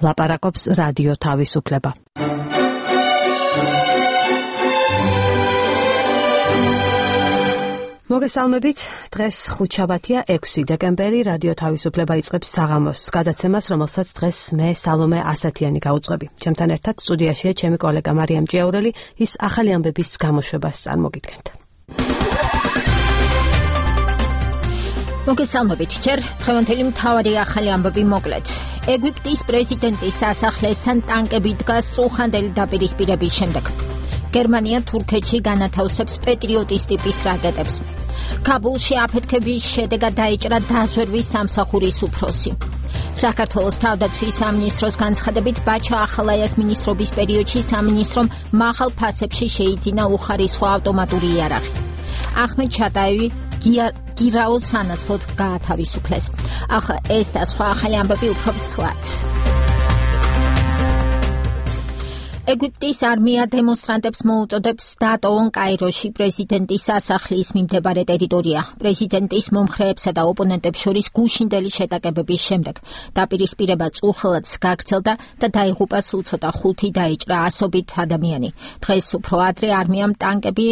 ლაპარაკობს რადიო თავისუფლება. მოგესალმებით, დღეს ხუთშაბათია 6 დეკემბერი, რადიო თავისუფლება იწყებს საღამოს გადაცემას, რომელსაც დღეს მე სალომე ასათიანი გაუძღვები. ჩემთან ერთად სტუდიაშია ჩემი კოლეგა მარიამ ჭიაურელი, ის ახალი ამბების გამოშვებას წარმოგიდგენთ. მოგესალმებით, ჯერ დღევანდელი მთავარი ახალი ამბები მოკლედ. ეგვიპტის პრეზიდენტის სასახლესთან ტანკები დგას წუხანდელი დაპირისპირების შემდეგ. გერმანია თურქეთში განათავსებს პეტრიოტის ტიპის რაკეტებს. ქაბულში აფეთქების შედეგად დაიჭრა დაზვერვის სამსახურის უფროსი. საქართველოს თავდაცვის სამინისტროს განცხადებით ბაჩა ახალაიას მინისტრობის პერიოდში სამინისტრომ მაღალ ფასებში შეიძინა უხარისხო ავტომატური იარაღი. ახმედ ჩატაევი გირაოს სანაცვლოდ გაათავისუფლეს. ახლა ეს და სხვა ახალი ამბები უფრო ცვლად. ეგვიპტის არმია დემონსტრანტებს მოუწოდებს დატოვონ კაიროში პრეზიდენტის სასახლის მიმდებარე ტერიტორია. პრეზიდენტის მომხრეებსა და ოპონენტებს შორის გუშინდელი შეტაკებების შემდეგ დაპირისპირება წუხლად გაგრძელდა და დაიღუპა სულ ცოტა 5 დაიჭრა ასობით ადამიანი. დღეს უფრო ადრე არმიამ ტანკები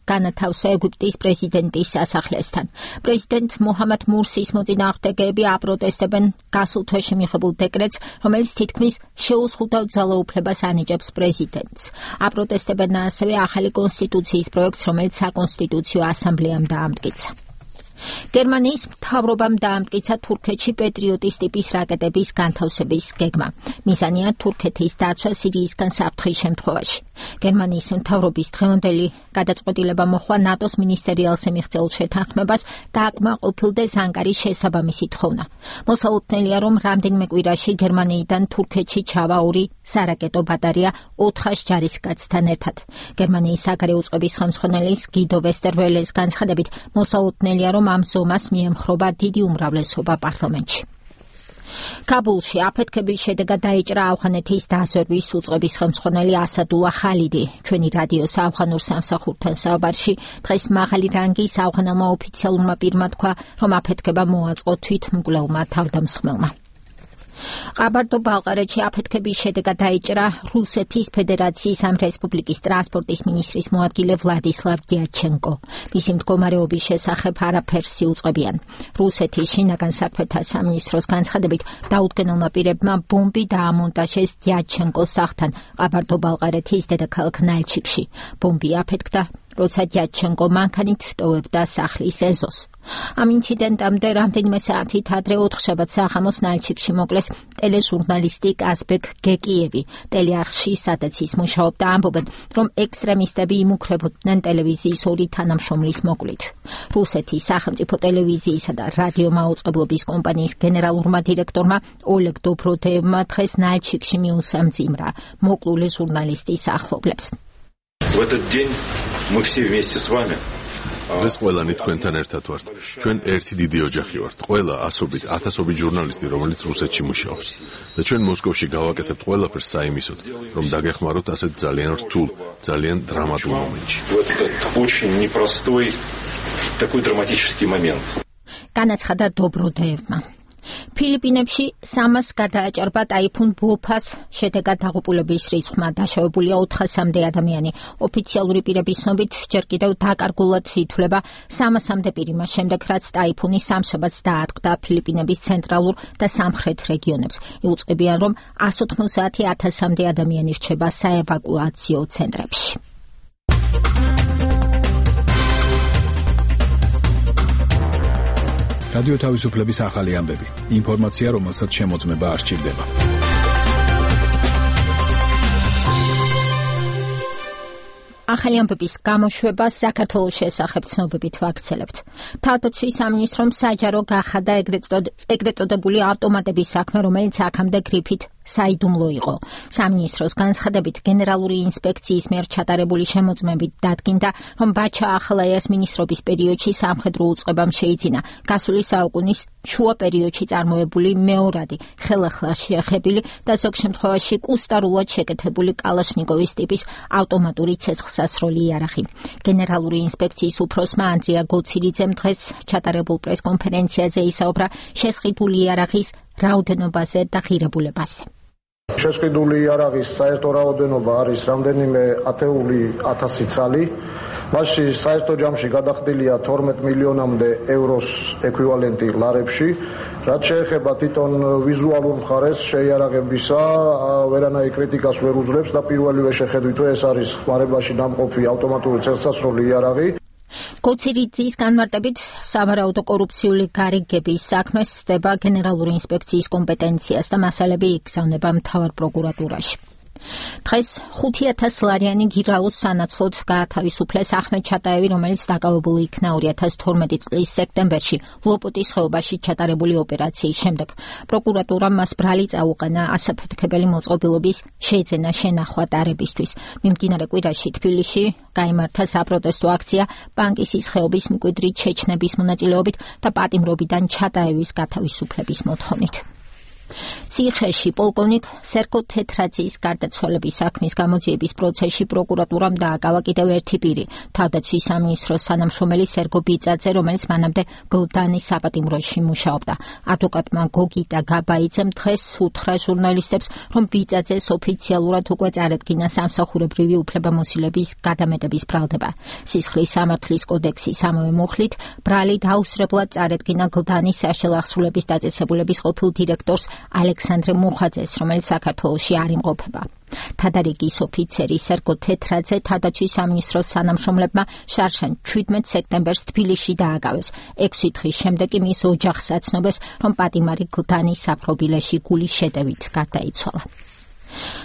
განათავსა ეგვიპტის პრეზიდენტის სასახლესთან. პრეზიდენტ მოჰამად მურსის მოწინააღმდეგეები აპროტესტებენ გასულ თვეში მიღებულ დეკრეტს, რომელიც თითქმის შეუზღუდავ ძალაუფლებას ანიჭებს პრეზიდენტს. აპროტესტებენ ასევე ახალი კონსტიტუციის პროექტს, რომელიც საკონსტიტუციო ასამბლეამ დაამტკიცა. გერმანიის მთავრობამ დაამტკიცა თურქეთში პეტრიოტის ტიპის რაკეტების განთავსების გეგმა. მიზანია თურქეთის დაცვა სირიისგან საფრთხის შემთხვევაში. გერმანიის მთავრობის დღევანდელი გადაწყვეტილება მოჰყვა ნატოს მინისტერიალზე მიღწეულ შეთანხმებას და აკმაყოფილდეს ანკარის შესაბამისი თხოვნა. მოსალოდნელია, რომ რამდენიმე კვირაში გერმანიიდან თურქეთში ჩავა 2 სარაკეტო ბატარეა 400 ჯარისკაცთან ერთად. გერმანიის საგარეო წყობის ხელმძღვანელის გიდო ვესტერველეს განცხადებით, მოსალოდნელია, რომ ამ ზომას მიემხრობა დიდი უმრავლესობა პარლამენტში. ქაბულში აფეთქების შედეგად დაიჭრა ავღანეთის დაზვერვის უწყების ხელმძღვანელი ასადულა ხალიდი. ჩვენი რადიოს ავღანურ სამსახურთან საუბარში დღეს მაღალი რანგის ავღანელმა ოფიციალურმა პირმა თქვა, რომ აფეთქება მოაწყო თვითმკვლელმა თავდამსხმელმა. ყაბარდო-ბალყარეთში აფეთქების შედეგად დაიჭრა რუსეთის ფედერაციის ამ რესპუბლიკის ტრანსპორტის მინისტრის მოადგილე ვლადისლავ დიაჩენკო. მისი მდგომარეობის შესახებ არაფერს იუწყებიან. რუსეთის შინაგან საქმეთა სამინისტროს განცხადებით, დაუდგენელმა პირებმა ბომბი დაამონტაჟეს დიაჩენკოს სახლთან ყაბარდო-ბალყარეთის დედაქალაქ ნალჩიკში. ბომბი აფეთქდა, როცა დიაჩენკო მანქანით ტოვებდა სახლის ეზოს. ამ ინციდენტამდე რამდენიმე საათით ადრე 4 შაბათს საღამოს ნალჩიკში მოკლეს ტელეჟურნალისტი კაზბეკ გეკიევი. ტელეარხში, სადაც ის მუშაობდა, ამბობენ, რომ ექსტრემისტები იმუქრებოდნენ ტელევიზიის 2 თანამშრომლის მოკლით. რუსეთის სახელმწიფო ტელევიზიისა და რადიო მაუწყებლობის კომპანიის გენერალურმა დირექტორმა ოლეგ დობროდეევმა დღეს ნალჩიკში მიუსამძიმრა მოკლული ჟურნალისტის ახლობლებს. В этот день мы все вместе с вами. დღეს ყველანი თქვენთან ერთად ვართ. ჩვენ ერთი დიდი ოჯახი ვართ. ყველა ასობით, ათასობით ჟურნალისტი, რომელიც რუსეთში მუშაობს. და ჩვენ მოსკოვში გავაკეთებთ ყველაფერს საიმისოდ, რომ დაგეხმაროთ ასეთ ძალიან რთულ, ძალიან დრამატულ მომენტში. Вот этот очень непростой, такой драматический момент. განაცხადა დობროდეევმა. ფილიპინებში 300 გადააჭარბა ტაიფუნ ბოფას შედეგად დაღუპულების რიცხვმა, დაშავებულია 400-მდე ადამიანი. ოფიციალური პირების ცნობით ჯერ კიდევ დაკარგულად ითვლება 300-მდე პირი მას შემდეგ, რაც ტაიფუნი სამშაბათს დაატყდა ფილიპინების ცენტრალურ და სამხრეთ რეგიონებს. იუწყებიან, რომ 190,000-მდე ადამიანი რჩება საევაკუაციო ცენტრებში. რადიო თავისუფლების ახალი ამბები. ინფორმაცია, რომელსაც შემოწმება არ სჭირდება. ახალი ამბების გამოშვება საქართველოს შესახებ ცნობებით ვაქცელებთ. თავდაცვის სამინისტრომ საჯარო გახადა ეგრეთ წოდებული ავტომატების საქმე, რომელიც აქამდე გრიფით საიდუმლო იყო. სამინისტროს განცხადებით გენერალური ინსპექციის მიერ ჩატარებული შემოწმებით დადგინდა, რომ ბაჩა ახალაიას მინისტრობის პერიოდში სამხედრო უწყებამ შეიძინა გასული საუკუნის შუა პერიოდში წარმოებული მეორადი ხელახლა შეახებილი და ზოგ შემთხვევაში კუსტარულად შეკეთებული კალაშნიკოვის ტიპის ავტომატური ცეცხლსასროლი იარაღი. გენერალური ინსპექციის უფროსმა ანდრია გოცირიძემ დღეს ჩატარებულ პრესკონფერენციაზე ისაუბრა შესყიდული იარაღის რაოდენობაზე და ღირებულებაზე. Შესყიდული იარაღის საერთო რაოდენობა არის რამდენიმე ათეული ათასი ცალი. მასში საერთო ჯამში გადახდილია 12 მილიონამდე ევროს ეკვივალენტი ლარებში. რაც შეეხება თვითონ ვიზუალურ მხარეს შეიარაღებისა, ვერანაირ კრიტიკას ვერ უძლებს და პირველივე შეხედვით, რომ ეს არის ხმარებაში დამყოფი ავტომატური წელსასროლი იარაღი. კოცირიძის განმარტებით სავარაუდო კორუფციული გარიგების საქმე სდება გენერალური ინსპექციის კომპეტენციას და მასალები იგზავნება მთავარ პროკურატურაში. დღეს 5,000 ლარიანი გირაოს სანაცვლოდ გაათავისუფლეს ახმედ ჩატაევი, რომელიც დაკავებული იქნა 2012 წლის სექტემბერში ლოპოტის ხეობაში ჩატარებული ოპერაციის შემდეგ. პროკურატურამ მას ბრალი წაუყენა ასაფეთქებელი მოწყობილობის შეძენა შენახვა ტარებისთვის. მიმდინარე კვირაში თბილისში გაიმართა საპროტესტო აქცია პანკისის ხეობის მკვიდრი ჩეჩნების მონაწილეობით და პატიმრობიდან ჩატაევის გათავისუფლების მოთხოვნით. ციხეში პოლკოვნიკ სერგო თეთრაძის გარდაცვალების საქმის გამოძიების პროცესში პროკურატურამ დააკავა კიდევ ერთი პირი, თავდაცვის სამინისტროს თანამშრომელი სერგო ბიძაძე, რომელიც მანამდე გლდანის საპატიმროში მუშაობდა. ადვოკატმა გოგიტა გაბაიძემ დღეს უთხრა ჟურნალისტებს, რომ ბიძაძეს ოფიციალურად უკვე წარედგინა სამსახურებრივი უფლებამოსილების გადამეტების ბრალდება. სისხლის სამართლის კოდექსის ამავე მუხლით ბრალი დაუსრებლად წარედგინა გლდანის საშუალო აღსრულების დაწესებულების ყოფილ დირექტორს ალექსანდრე მუხაძეს, რომელიც საქართველოში არ იმყოფება. თადარიგის ოფიცერი სერგო თეთრაძე თავდაცვის სამინისტროს თანამშრომლებმა შარშან 17 სექტემბერს თბილისში დააკავეს. 6 დღის შემდეგ კი მის ოჯახს აცნობეს, რომ პატიმარი გლდანის საპრობილეში გულის შეტევით გარდაიცვალა.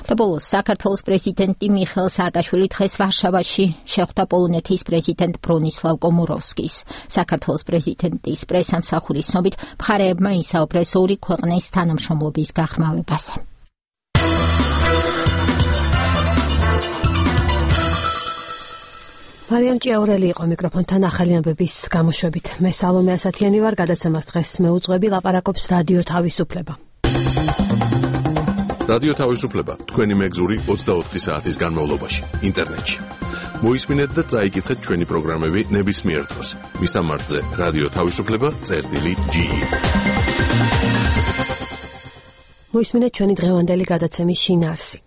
და ბოლოს საქართველოს პრეზიდენტი მიხეილ სააკაშვილი დღეს ვარშავაში შეხვდა პოლონეთის პრეზიდენტ ბრონისლავ კომოროვსკის. საქართველოს პრეზიდენტის პრესამსახურის ცნობით მხარეებმა ისაუბრეს ორი ქვეყნის თანამშრომლობის გაღრმავებაზე. მარიამ ჭიაურელი იყო მიკროფონთან ახალი ამბების გამოშვებით. მე სალომე ასათიანი ვარ, გადაცემას დღეს მეუძღვები, ლაპარაკობს რადიო თავისუფლება. რადიო თავისუფლება თქვენი მეგზური 24 საათის განმავლობაში ინტერნეტში. მოისმინეთ და წაიკითხეთ ჩვენი პროგრამები ნებისმიერ დროს. მისამართზე რადიო თავისუფლება.ge. მოისმინეთ ჩვენი დღევანდელი გადაცემის შინაარსი.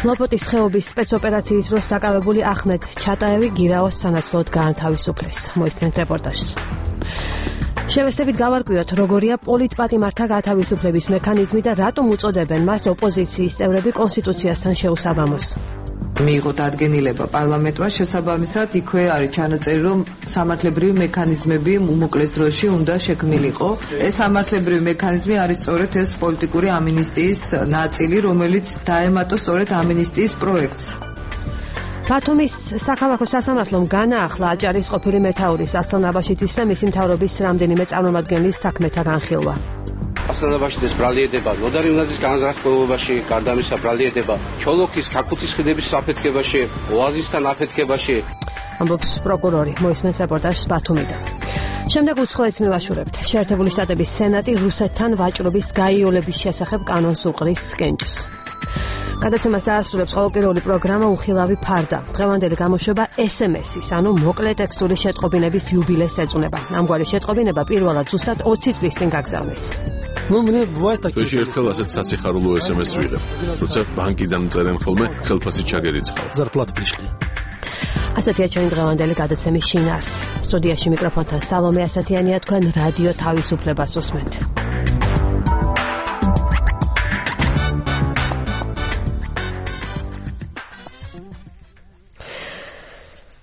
ლოპოტის ხეობის სპეცოპერაციის დროს დაკავებული ახმედ ჩატაევი გირაოს სანაცვლოდ გაანთავისუფლეს. მოისმინეთ რეპორტაჟს. შევესწრებით გავარკვიოთ, როგორია პოლიტპატიმართა გათავისუფლების მექანიზმი და რატომ უწოდებენ მას ოპოზიციის წევრები კონსტიტუციასთან შეუსაბამოს. მიიღო დადგენილება პარლამენტმა, შესაბამისად იქვე არის ჩანაწერი, რომ სამართლებრივი მექანიზმები უმოკლეს დროში უნდა შექმნილიყო. ეს სამართლებრივი მექანიზმი არის სწორედ ეს პოლიტიკური ამინისტიის ნაწილი, რომელიც დაემატა სწორედ ამინისტიის პროექტს. ბათუმის საქალაქო სასამართლომ განაახლა აჭარის ყოფილი მეთაურის ასლან აბაშიძის და მისი მთავრობის რამდენიმე წარმომადგენლის საქმეთა განხილვა. ასლან აბაშიძის ბრალიერდება ნოდარი უნაზის განზრახებულობაში, გარდა ამისა ბრალიერდება ჩოლოქის ქაქუთის ხიდების საფეთქებაში, ოაზისთან აფეთქებაში. ამბობს პროკურორი. მოისმენთ რეპორტაჟს ბათუმიდან. შემდეგ უცხოეთს მივაშურებთ. შეერთებული შტატების სენატი რუსეთთან ვაჭრობის გაიოლების შესახებ კანონს უყრის კენჭს. გადაცემას დაასრულებს ყოველკვირეული პროგრამა უხილავი ფარდა. დღევანდელი გამოშვება SMS-ის, ანუ მოკლე ტექსტური შეტყობინების იუბილეს ეწუნება. ამგვარი შეტყობინება პირველად ზუსტად 20 წლის წინ გაგზავნეს. თვეში ერთხელ ასეთ სასიხარულო SMS ვიღებ, როცა ბანკიდან წერენ ხოლმე ხელფასი ჩაგერიცხავ. ასეთია ჩვენი დღევანდელი გადაცემის შინაარსი. სტუდიაში მიკროფონთან სალომე ასათიანია, თქვენ რადიო თავისუფლებას უსმენთ.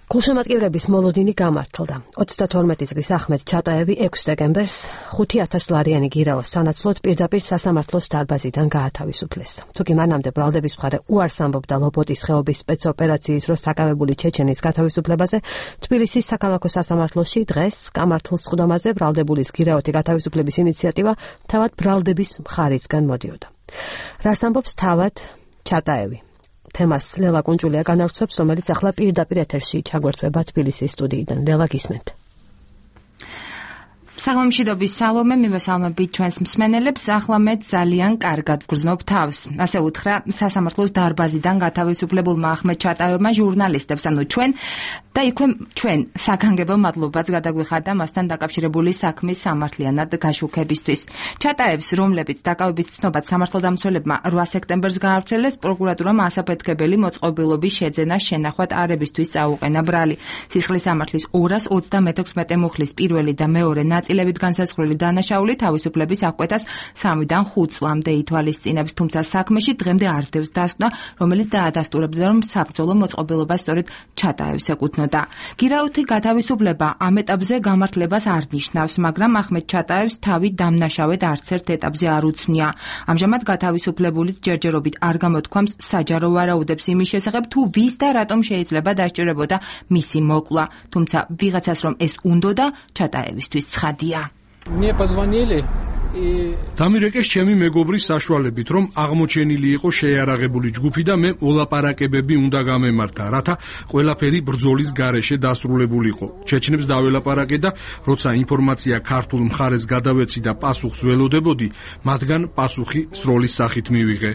გულშემატკივრების მოლოდინი გამართლდა. 32 წლის ახმედ ჩატაევი 6 დეკემბერს 5,000 ლარიანი გირაოს სანაცვლოდ პირდაპირ სასამართლოს დარბაზიდან გაათავისუფლეს. თუკი მანამდე ბრალდების მხარე უარს ამბობდა ლოპოტის ხეობის სპეცოპერაციის დროს დაკავებული ჩეჩენის გათავისუფლებაზე, თბილისის საქალაქო სასამართლოში დღეს გამართულ სხდომაზე ბრალდებულის გირაოთი გათავისუფლების ინიციატივა თავად ბრალდების მხარისგან მოდიოდა. რას ამბობს თავად ჩატაევი? თემას ლელა კუნჭულია განავრცობს, რომელიც ახლა პირდაპირ ეთერში ჩაგვერთვება თბილისის სტუდიიდან. ლელა, გისმენთ. საღამომშვიდობის სალომე, მივესალმებით ჩვენს მსმენელებს. ახლა მე ძალიან კარგად ვგრძნობ თავს. ასე უთხრა სასამართლოს დარბაზიდან გათავისუფლებულმა ახმედ ჩატაევმა ჟურნალისტებს, ანუ ჩვენ და იქვე ჩვენ საგანგებო მადლობაც გადაგვიხადა მასთან დაკავშირებული საქმის სამართლიანად გაშუქებისთვის. ჩატაევს, რომლებიც დაკავების ცნობად სამართალდამცველებმა 8 სექტემბერს გაავრცელეს, პროკურატურამ ასაფეთქებელი მოწყობილობის შეძენა შენახვად არებისთვის წაუყენა ბრალი. სისხლის სამართლის 236 მუხლის პირველი და მეორე ნაწილებით განსაზღვრული დანაშაული თავისუფლების აღკვეთას 3-დან 5 წლამდე ითვალისწინებს, თუმცა საქმეში დღემდე არ დევს დასკვნა, რომელიც დაადასტურებდა, რომ საბრძოლო მოწყობილობა სწორედ ჩატაევს ეკუთვნოდა. გირაუთი გათავისუფლება ამ ეტაპზე გამართლებას არ ნიშნავს, მაგრამ ახმედ ჩატაევს თავი დამნაშავედ არც ერთ ეტაპზე არ უცნია. ამჟამად გათავისუფლებულიც ჯერჯერობით არ გამოთქვამს საჯარო ვარაუდებს იმის შესახებ, თუ ვის და რატომ შეიძლება დასჭირებოდა მისი მოკლა, თუმცა ვიღაცას რომ ეს უნდოდა, ჩატაევისთვის ცხადია. Мне позвонили დამირეკეს ჩემი მეგობრის საშუალებით, რომ აღმოჩენილი იყო შეიარაღებული ჯგუფი და მე ოლაპარაკებები უნდა გამემართა, რათა ყველაფერი ბრძოლის გარეშე დასრულებულიყო. ჩეჩნებს დაველაპარაკე და როცა ინფორმაცია ქართულ მხარეს გადავეცი და პასუხს ველოდებოდი, მათგან პასუხი სროლის სახით მივიღე.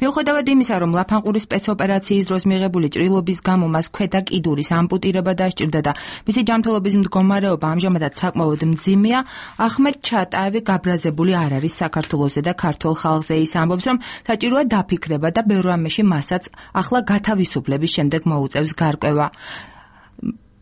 მიუხედავად იმისა, რომ ლაფანყურის სპეცოპერაციის დროს მიღებული ჭრილობის გამო მას ქვედა კიდურის ამპუტირება დასჭირდა და მისი ჯანმრთელობის მდგომარეობა ამჟამადაც საკმაოდ მძიმეა, ახმედ ჩატაევი გაბრაზებული არ არის საქართველოსზე და ქართულ ხალხზე. ის ამბობს, რომ საჭიროა დაფიქრება და ბევრ რამეში მასაც ახლა გათავისუფლების შემდეგ მოუწევს გარკვევა.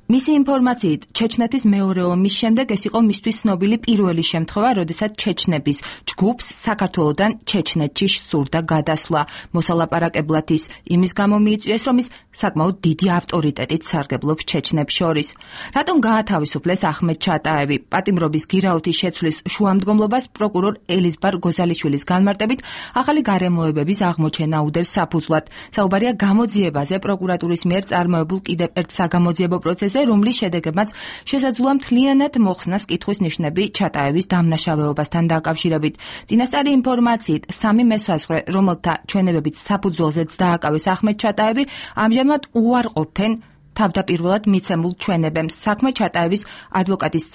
მისი ინფორმაციით, ჩეჩნეთის მეორე ომის შემდეგ ეს იყო მისთვის ცნობილი პირველი შემთხვევა, როდესაც ჩეჩნების ჯგუფს საქართველოდან ჩეჩნეთში სურდა გადასვლა. მოსალაპარაკებლად ის იმის გამო მიიწვიეს, რომ ის საკმაოდ დიდი ავტორიტეტით სარგებლობს ჩეჩნებს შორის. რატომ გაათავისუფლეს ახმედ ჩატაევი? პატიმრობის გირაუთის შეცვლის შუამდგომლობას პროკურორ ელიზბარ გოზალიშვილის განმარტებით ახალი გარემოებების აღმოჩენა უდევს საფუძვლად. საუბარია გამოძიებაზე პროკურატურის მიერ წარმოებულ კიდევ ერთ საგამოძიებო პროცესზე, რომლის შედეგებმაც შესაძლოა მთლიანად მოხსნას კითხვის ნიშნები ჩატაევის დამნაშავეობასთან დაკავშირებით. წინასწარი ინფორმაციით, 3 მესვაზღვრე, რომელთა ჩვენებებით საფუძველზეც დააკავეს ახმედ ჩატაევი, ამჟამად უარყოფენ თავდაპირველად მიცემულ ჩვენებებს. საქმე ჩატაევის ადვოკატის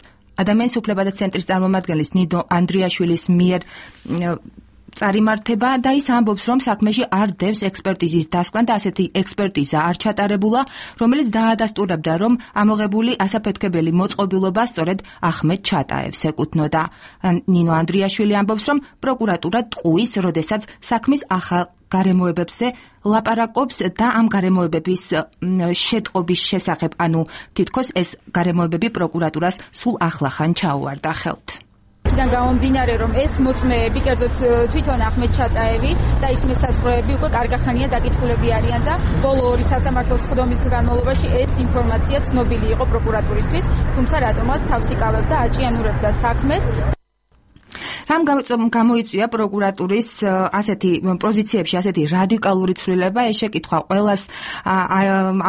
ადამიანის უფლებათა ცენტრის წარმომადგენლის ნინო ანდრიაშვილის მიერ წარიმართება და ის ამბობს, რომ საქმეში არ დევს ექსპერტიზის დასკვნა და ასეთი ექსპერტიზა არ ჩატარებულა, რომელიც დაადასტურებდა, რომ ამოღებული ასაფეთქებელი მოწყობილობა სწორედ ახმედ ჩატაევს ეკუთვნოდა. ნინო ანდრიაშვილი ამბობს, რომ პროკურატურა ტყუის, როდესაც საქმის ახალ გარემოებებზე ლაპარაკობს და ამ გარემოებების შეტყობის შესახებ, ანუ თითქოს ეს გარემოებები პროკურატურას სულ ახლახან ჩაუვარდა ხელთ. იქიდან გამომდინარე, რომ ეს მოწმეები, კერძოდ თვითონ ახმედ ჩატაევი და ის მესაზღვრეები უკვე კარგახანია დაკითხულები არიან და ბოლო 2 სასამართლოს ხდომის განმავლობაში ეს ინფორმაცია ცნობილი იყო პროკურატურისთვის, თუმცა რატომაც თავს იკავებდა, აჭიანურებდა საქმეს. რამ გამოიწვია პროკურატურის ასეთი პოზიციებში ასეთი რადიკალური ცვლილება? ეს შეკითხვა ყველას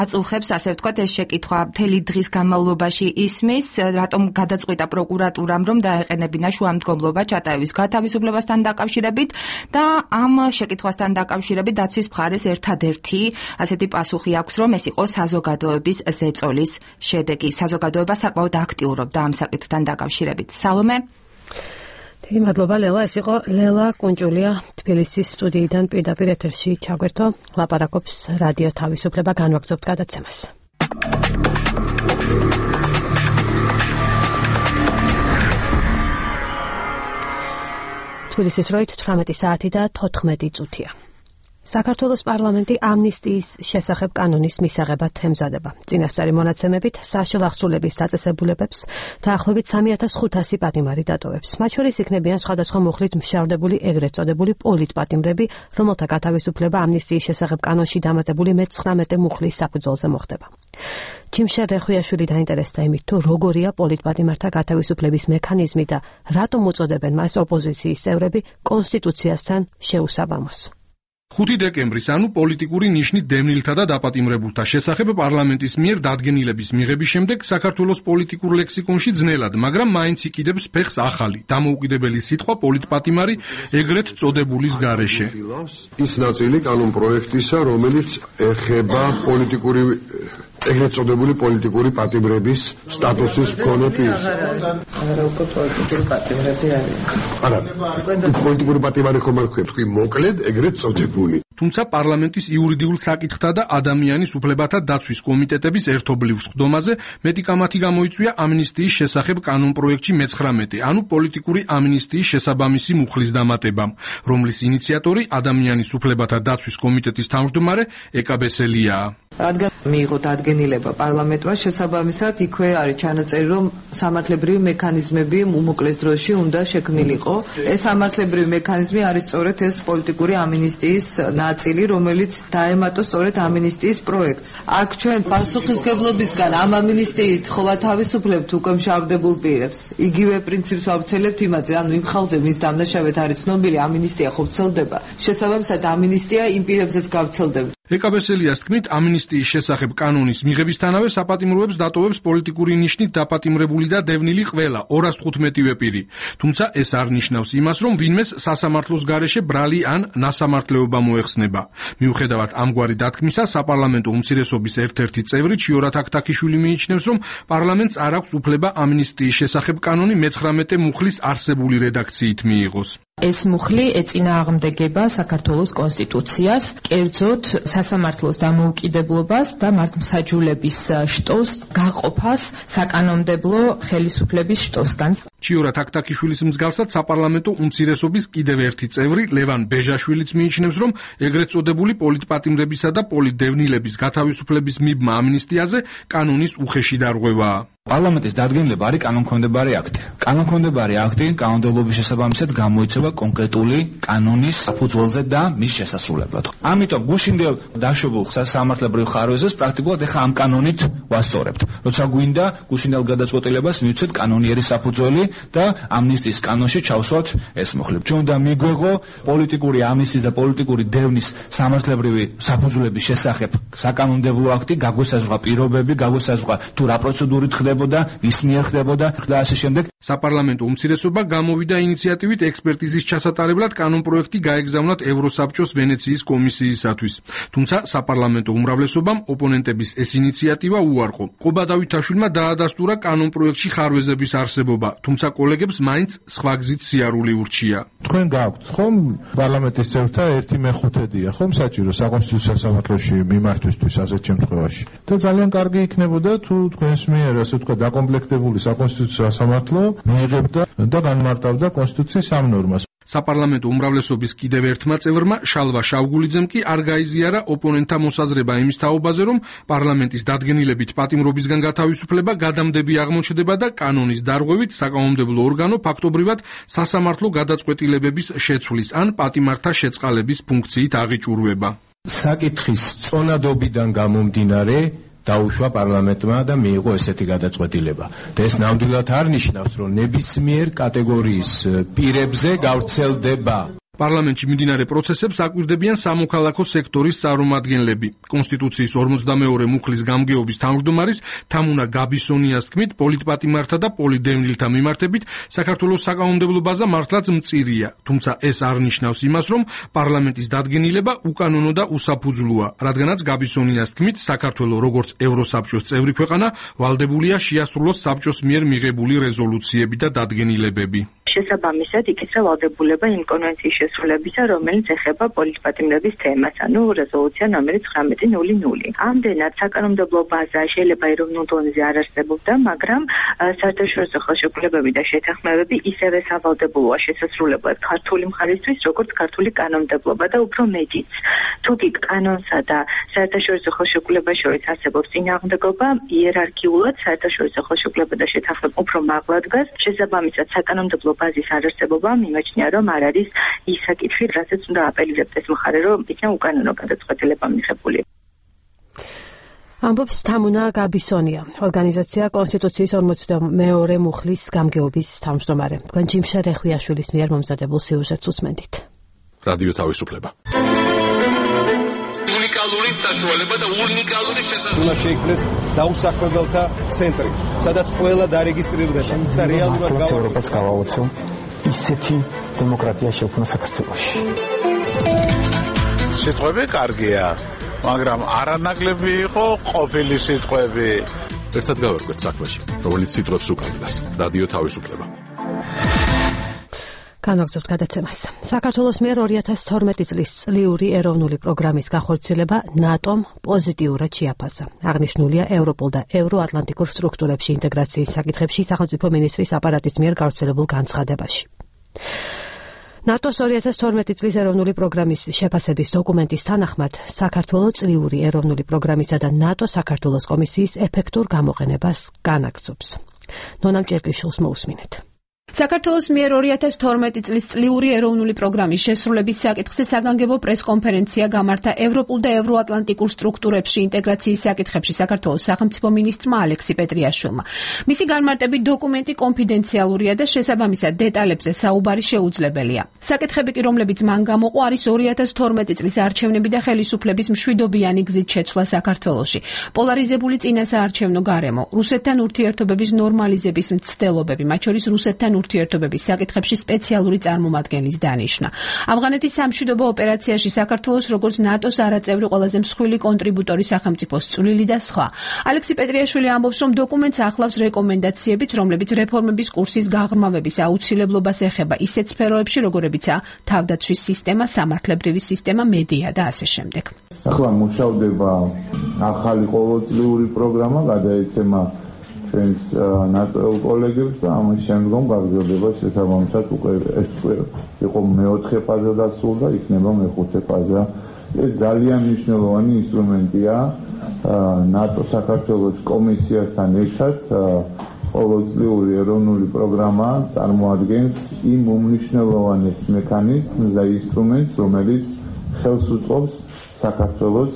აწუხებს, ასე ვთქვათ, ეს შეკითხვა მთელი დღის განმავლობაში ისმის, რატომ გადაწყვიტა პროკურატურამ, რომ დაეყენებინა შუამდგომლობა ჩატაევის გათავისუფლებასთან დაკავშირებით და ამ შეკითხვასთან დაკავშირებით დაცვის მხარეს ერთადერთი ასეთი პასუხი აქვს, რომ ეს იყო საზოგადოების ზეწოლის შედეგი. საზოგადოება საკმაოდ აქტიურობდა ამ საკითხთან დაკავშირებით. სალომე? დიდი მადლობა ლელა, ეს იყო ლელა კუნჭულია თბილისის სტუდიიდან პირდაპირ ეთერში ჩაგვერთო, ლაპარაკობს რადიო თავისუფლება, განვაგრძობთ გადაცემას. თბილისის დროით 18 საათი და 14 წუთია. საქართველოს პარლამენტი ამნისტიის შესახებ კანონის მისაღებად ემზადება. წინასწარი მონაცემებით საშუალო აღსრულების დაწესებულებებს დაახლოებით 3500 პატიმარი დატოვებს. მათ შორის იქნებიან სხვადასხვა მუხლით მშავდებული ეგრეთ წოდებული პოლიტპატიმრები, რომელთა გათავისუფლება ამნისტიის შესახებ კანონში დამატებული მე-19 მუხლის საფუძველზე მოხდება. ჯიმშა რეხვიაშვილი დაინტერესდა იმით, თუ როგორია პოლიტპატიმართა გათავისუფლების მექანიზმი და რატომ უწოდებენ მას ოპოზიციის წევრები კონსტიტუციასთან შეუსაბამოს. 5 დეკემბრის, ანუ პოლიტიკური ნიშნით დევნილთა და დაპატიმრებულთა შესახებ პარლამენტის მიერ დადგენილების მიღების შემდეგ საქართველოს პოლიტიკურ ლექსიკონში ძნელად, მაგრამ მაინც იკიდებს ფეხს ახალი, დამოუკიდებელი სიტყვა პოლიტპატიმარი ეგრეთ წოდებულის გარეშე. ის ნაწილი კანონპროექტისა, რომელიც ეხება ეგრეთ წოდებული პოლიტიკური პატიმრების სტატუსის მქონე პირს. არა უკვე პოლიტიკური პატიმრები არიან. არა, პოლიტიკური პატიმარი ხომ არ ქვია, თქვი მოკლედ ეგრეთ წოდებული. თუმცა პარლამენტის იურიდიულ საკითხთა და ადამიანის უფლებათა დაცვის კომიტეტების ერთობლივ სხდომაზე მეტი კამათი გამოიწვია ამნისტიის შესახებ კანონპროექტში 19, ანუ პოლიტიკური ამნისტიის შესაბამისი მუხლის დამატებამ, რომლის ინიციატორი ადამიანის უფლებათა დაცვის კომიტეტის თავმჯდომარე ეკა ბესელიაა. რადგან მიიღო დადგენილება პარლამენტმა, შესაბამისად იქვე არის ჩანაწერი, რომ სამართლებრივი მექანიზმები უმოკლეს დროში უნდა შექმნილიყო. ეს სამართლებრივი მექანიზმი არის სწორედ ეს პოლიტიკური ამნისტიის ნაწილი, რომელიც დაემატა სწორედ ამნისტიის პროექტს. აქ ჩვენ პასუხისმგებლობისგან ამ ამნისტიით ხოვა თავისუფლებთ უკვე მშავდებულ პირებს. იგივე პრინციპს ვავრცელებთ იმაზე, ანუ იმ ხალხზე, ვის დამნაშავედ არის ცნობილი, ამნისტია ხო ვრცელდება. შესაბამისად ამნისტია იმ პირებზეც გავრცელდება. ეკა ბესელიას თქმით, ამნისტიის შესახებ კანონის მიღებისთანავე საპატიმროებს დატოვებს პოლიტიკური ნიშნით დაპატიმრებული და დევნილი ყველა 215-ვე პირი. თუმცა ეს არ ნიშნავს იმას, რომ ვინმეს სასამართლოს გარეშე ბრალი ან ნასამართლეობა მოეხსნება. მიუხედავად ამგვარი დათქმისა, საპარლამენტო უმცირესობის ერთ-ერთი წევრი ჩიორათ აკთაქიშვილი მიიჩნევს, რომ პარლამენტს არ აქვს უფლება ამნისტიის შესახებ კანონი 19 მუხლის არსებული რედაქციით მიიღოს. ეს მუხლი ეწინააღმდეგება საქართველოს კონსტიტუციას, კერძოდ სასამართლოს დამოუკიდებლობას და მართლმსაჯულების შტოს გაყოფას საკანონმდებლო ხელისუფლების შტოსგან. ჩიორათ აკთაქიშვილის მსგავსად საპარლამენტო უმცირესობის კიდევ ერთი წევრი ლევან ბეჟაშვილიც მიიჩნევს, რომ ეგრეთ წოდებული პოლიტპატიმრებისა და პოლიტდევნილების გათავისუფლების მიბმა ამნისტიაზე კანონის უხეში დარღვევაა. პარლამენტის დადგენილება არის კანონქვემდებარი აქტი. კანონქვემდებარი აქტი კანონმდებლობის შესაბამისად გამოიცემა კონკრეტული კანონის საფუძველზე და მის შესასრულებლად. ამიტომ გუშინდელ დაშვებულ სამართლებრივ ხარვეზეს პრაქტიკულად ეხა ამ კანონით ვასწორებთ. როცა გვინდა გუშინდელ გადაწყვეტილებას მივცეთ კანონიერი საფუძველი და ამნისტიის კანონში ჩავსვათ ეს მუხლი. ჩვენ უნდა მიგვეღო პოლიტიკური ამნისტიის და პოლიტიკური დევნის სამართლებრივი საფუძვლების შესახებ საკანონმდებლო აქტი, გაგვესაზღვრა პირობები, გაგვესაზღვრა თუ რა პროცედურით ხდებოდა, ვის მიერ ხდებოდა და ასე შემდეგ. საპარლამენტო უმცირესობა გამოვიდა ინიციატივით ექსპერტიზის ჩასატარებლად კანონპროექტი გაეგზავნათ ევროსაბჭოს ვენეციის კომისიისათვის. თუმცა საპარლამენტო უმრავლესობამ ოპონენტების ეს ინიციატივა უარყო. ყობა დავითაშვილმა დაადასტურა კანონპროექტში ხარვეზების არსებობა, თუმცა კოლეგებს მაინც სხვა გზით სიარული ურჩია. თქვენ გაქვთ ხომ პარლამენტის წევრთა 1/5-ია ხომ საჭირო საკონსტიტუციო სასამართლოში მიმართვისთვის ასეთ შემთხვევაში. და ძალიან კარგი იქნებოდა თუ თქვენს მიერ ასე ვთქვა დაკომპლექტებული საკონსტიტუციო სასამართლო მიიღებდა და განმარტავდა კონსტიტუციის ამ ნორმას. საპარლამენტო უმრავლესობის კიდევ ერთმა წევრმა შალვა შავგულიძემ კი არ გაიზიარა ოპონენტთა მოსაზრება იმის თაობაზე, რომ პარლამენტის დადგენილებით პატიმრობისგან გათავისუფლება გადამდები აღმოჩნდება და კანონის დარღვევით საკანონმდებლო ორგანო ფაქტობრივად სასამართლო გადაწყვეტილებების შეცვლის ან პატიმართა შეწყალების ფუნქციით აღიჭურვება. საკითხის წონადობიდან გამომდინარე დაუშვა პარლამენტმა და მიიღო ესეთი გადაწყვეტილება. და ეს ნამდვილად არ ნიშნავს, რომ ნებისმიერ კატეგორიის პირებზე გავრცელდება. პარლამენტში მიმდინარე პროცესებს აკვირდებიან სამოქალაქო სექტორის წარმომადგენლები. კონსტიტუციის 42 მუხლის გამგეობის თავმჯდომარის თამუნა გაბისონიას თქმით, პოლიტპატიმართა და პოლიტდევნილთა მიმართებით საქართველოს საკანონმდებლო ბაზა მართლაც მწირია. თუმცა ეს არ ნიშნავს იმას, რომ პარლამენტის დადგენილება უკანონო და უსაფუძვლოა, რადგანაც გაბისონიას თქმით, საქართველო როგორც ევროსაბჭოს წევრი ქვეყანა ვალდებულია შეასრულოს საბჭოს მიერ მიღებული რეზოლუციები და დადგენილებები. შესაბამისად იქიცა ვალდებულება იმ კონვენციის შესრულებისა, რომელიც ეხება პოლიტპატიმრების თემას, ანუ რეზოლუცია ნომერი 1900. ამდენად საკანონმდებლო ბაზა შეიძლება ეროვნულ დონეზე არ არსებობდა, მაგრამ საერთაშორისო ხელშეკრულებები და შეთანხმებები ისევე სავალდებულოა შესასრულებლად ქართული მხარისთვის, როგორც ქართული კანონმდებლობა და უფრო მეტიც. თუკი კანონსა და საერთაშორისო ხელშეკრულებას შორის არსებობს წინააღმდეგობა, იერარქიულად საერთაშორისო ხელშეკრულება და შეთანხმება უფრო მაღლა დგას, შესაბამისად საკანონმდებლო ბაზის არარსებობა მიმაჩნია, რომ არ არის ის საკითხი, რასაც უნდა აპელირებდეს ეს მხარე, რომ იქნა უკანონო გადაწყვეტილება მიღებული. ამბობს თამუნა გაბისონია, ორგანიზაცია კონსტიტუციის 42 მუხლის გამგეობის თავმჯდომარე. თქვენ ჯიმშა რეხვიაშვილის მიერ მომზადებულ სიუჟეტს უსმენთ. რადიო თავისუფლება. უნიკალური საშუალება და უნიკალური შესაძლებლობა. უნდა შეიქმნეს დაუსაქმებელთა ცენტრი, სადაც ყველა დარეგისტრირდება და რეალურად ევროპას გავაოცო ისეთი დემოკრატია შექმნა საქართველოში. სიტყვები კარგია, მაგრამ არანაკლები იყო ყოფილი სიტყვები. ერთად გავერკვეთ საქმეში, რომელიც სიტყვებს უკანდგას. რადიო თავისუფლება. განაგზავნებთ გადაცემას. საქართველოს მიერ 2012 წლის წლიური ეროვნული პროგრამის განხორციელება ნატომ პოზიტიურად შეაფასა. აღნიშნულია ევროპულ და ევროატლანტიკურ სტრუქტურებში ინტეგრაციის საკითხებში სახელმწიფო მინისტრის აპარატის მიერ გავრცელებულ განცხადებაში. ნატოს 2012 წლის ეროვნული პროგრამის შეფასების დოკუმენტის თანახმად, საქართველოს წლიური ეროვნული პროგრამისა და ნატო საქართველოს კომისიის ეფექტურ გამოყენებას განაგრძობს. ნონამ ჭერტიშვილს მოусმინეთ. საქართველოს მიერ 2012 წლის წლიური ეროვნული პროგრამის შესრულების საკითხზე საგანგებო პრესკონფერენცია გამართა ევროპულ და ევროატლანტიკურ სტრუქტურებში ინტეგრაციის საკითხებში საქართველოს სახელმწიფო მინისტრმა ალექსი პეტრიაშვილმა. მისი განმარტებით დოკუმენტი კონფიდენციალურია და შესაბამისად დეტალებზე საუბარი შეუძლებელია. საკითხები კი, რომლებიც მან გამოყო, არის 2012 წლის არჩევნები და ხელისუფლების მშვიდობიანი გზით შეცვლა საქართველოში, პოლარიზებული წინასაარჩევნო გარემო, რუსეთთან ურთიერთობების ნორმალიზების მცდელობები, მათ შორის რუსეთთან ურთიერთობების საკითხებში სპეციალური წარმომადგენლის დანიშვნა. ავღანეთის სამშვიდობო ოპერაციაში საქართველოს როგორც ნატოს არაწევრი ყველაზე მსხვილი კონტრიბუტორი სახელმწიფოს წვლილი და სხვა. ალექსი პეტრიაშვილი ამბობს, რომ დოკუმენტს ახლავს რეკომენდაციებიც, რომლებიც რეფორმების კურსის გაღრმავების აუცილებლობას ეხება ისეთ სფეროებში, როგორებიცაა თავდაცვის სისტემა, სამართლებრივი სისტემა, მედია და ასე შემდეგ. ახლა მუშავდება ახალი ყოველწლიური პროგრამა, გადაეცემა ჩვენს ნატოელ კოლეგებს და ამის შემდგომ გაგრძელდება შესაბამისად უკვე ეს იყო მეოთხე ფაზა დასრულდა და იქნება მეხუთე ფაზა. ეს ძალიან მნიშვნელოვანი ინსტრუმენტია ნატო საქართველოს კომისიასთან ერთად. ყოველწლიური ეროვნული პროგრამა წარმოადგენს იმ უმნიშვნელოვანეს მექანიზმს და ინსტრუმენტს, რომელიც ხელს უწყობს საქართველოს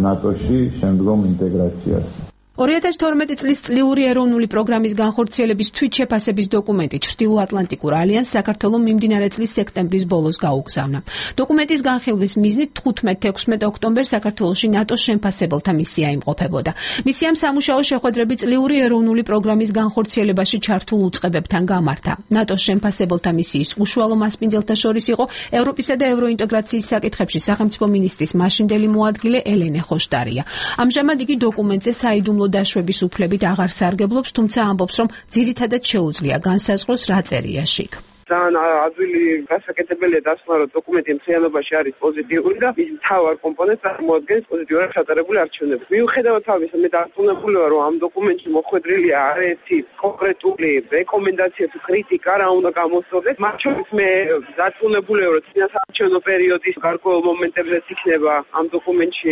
ნატოში შემდგომ ინტეგრაციას. 2012 წლის წლიური ეროვნული პროგრამის განხორციელების თვითშეფასების დოკუმენტი ჩრდილოატლანტიკურ ალიანსს საქართველოს მიმდინარე წლის სექტემბრის ბოლოს გაუგზავნა. დოკუმენტის განხილვის მიზნით 15-16 ოქტომბერს საქართველოში ნატოს შემფასებელთა მისია იმყოფებოდა. მისიამ სამუშაო შეხვედრები წლიური ეროვნული პროგრამის განხორციელებაში ჩართულ უწყებებთან გამართა. ნატოს შემფასებელთა მისიის უშუალო მასპინძელთა შორის იყო ევროპისა და ევროინტეგრაციის საკითხებში სახელმწიფო მინისტრის მაშინდელი მოადგილე ელენე ხოშტარია. ამჟამად იგი დოკუმენტზე საიდუმლო დაშვების უფლებით აღარ სარგებლობს, თუმცა ამბობს, რომ ძირითადად შეუძლია განსაზღვროს რა წერია შიგ. ძალიან ადვილი გასაკეთებელია დასკვნა, რომ დოკუმენტი მთლიანობაში არის პოზიტიური და ის მთავარ კომპონენტს წარმოადგენს პოზიტიურად ჩატარებული არჩევნები. მიუხედავად ამისა, მე დარწმუნებული ვარ, რომ ამ დოკუმენტში მოხვედრილია არაერთი კონკრეტული რეკომენდაცია თუ კრიტიკა, რა უნდა გამოსწორდეს. მათ შორის მე დარწმუნებული ვარ, რომ წინასაარჩევნო პერიოდის გარკვეულ მომენტებზეც იქნება ამ დოკუმენტში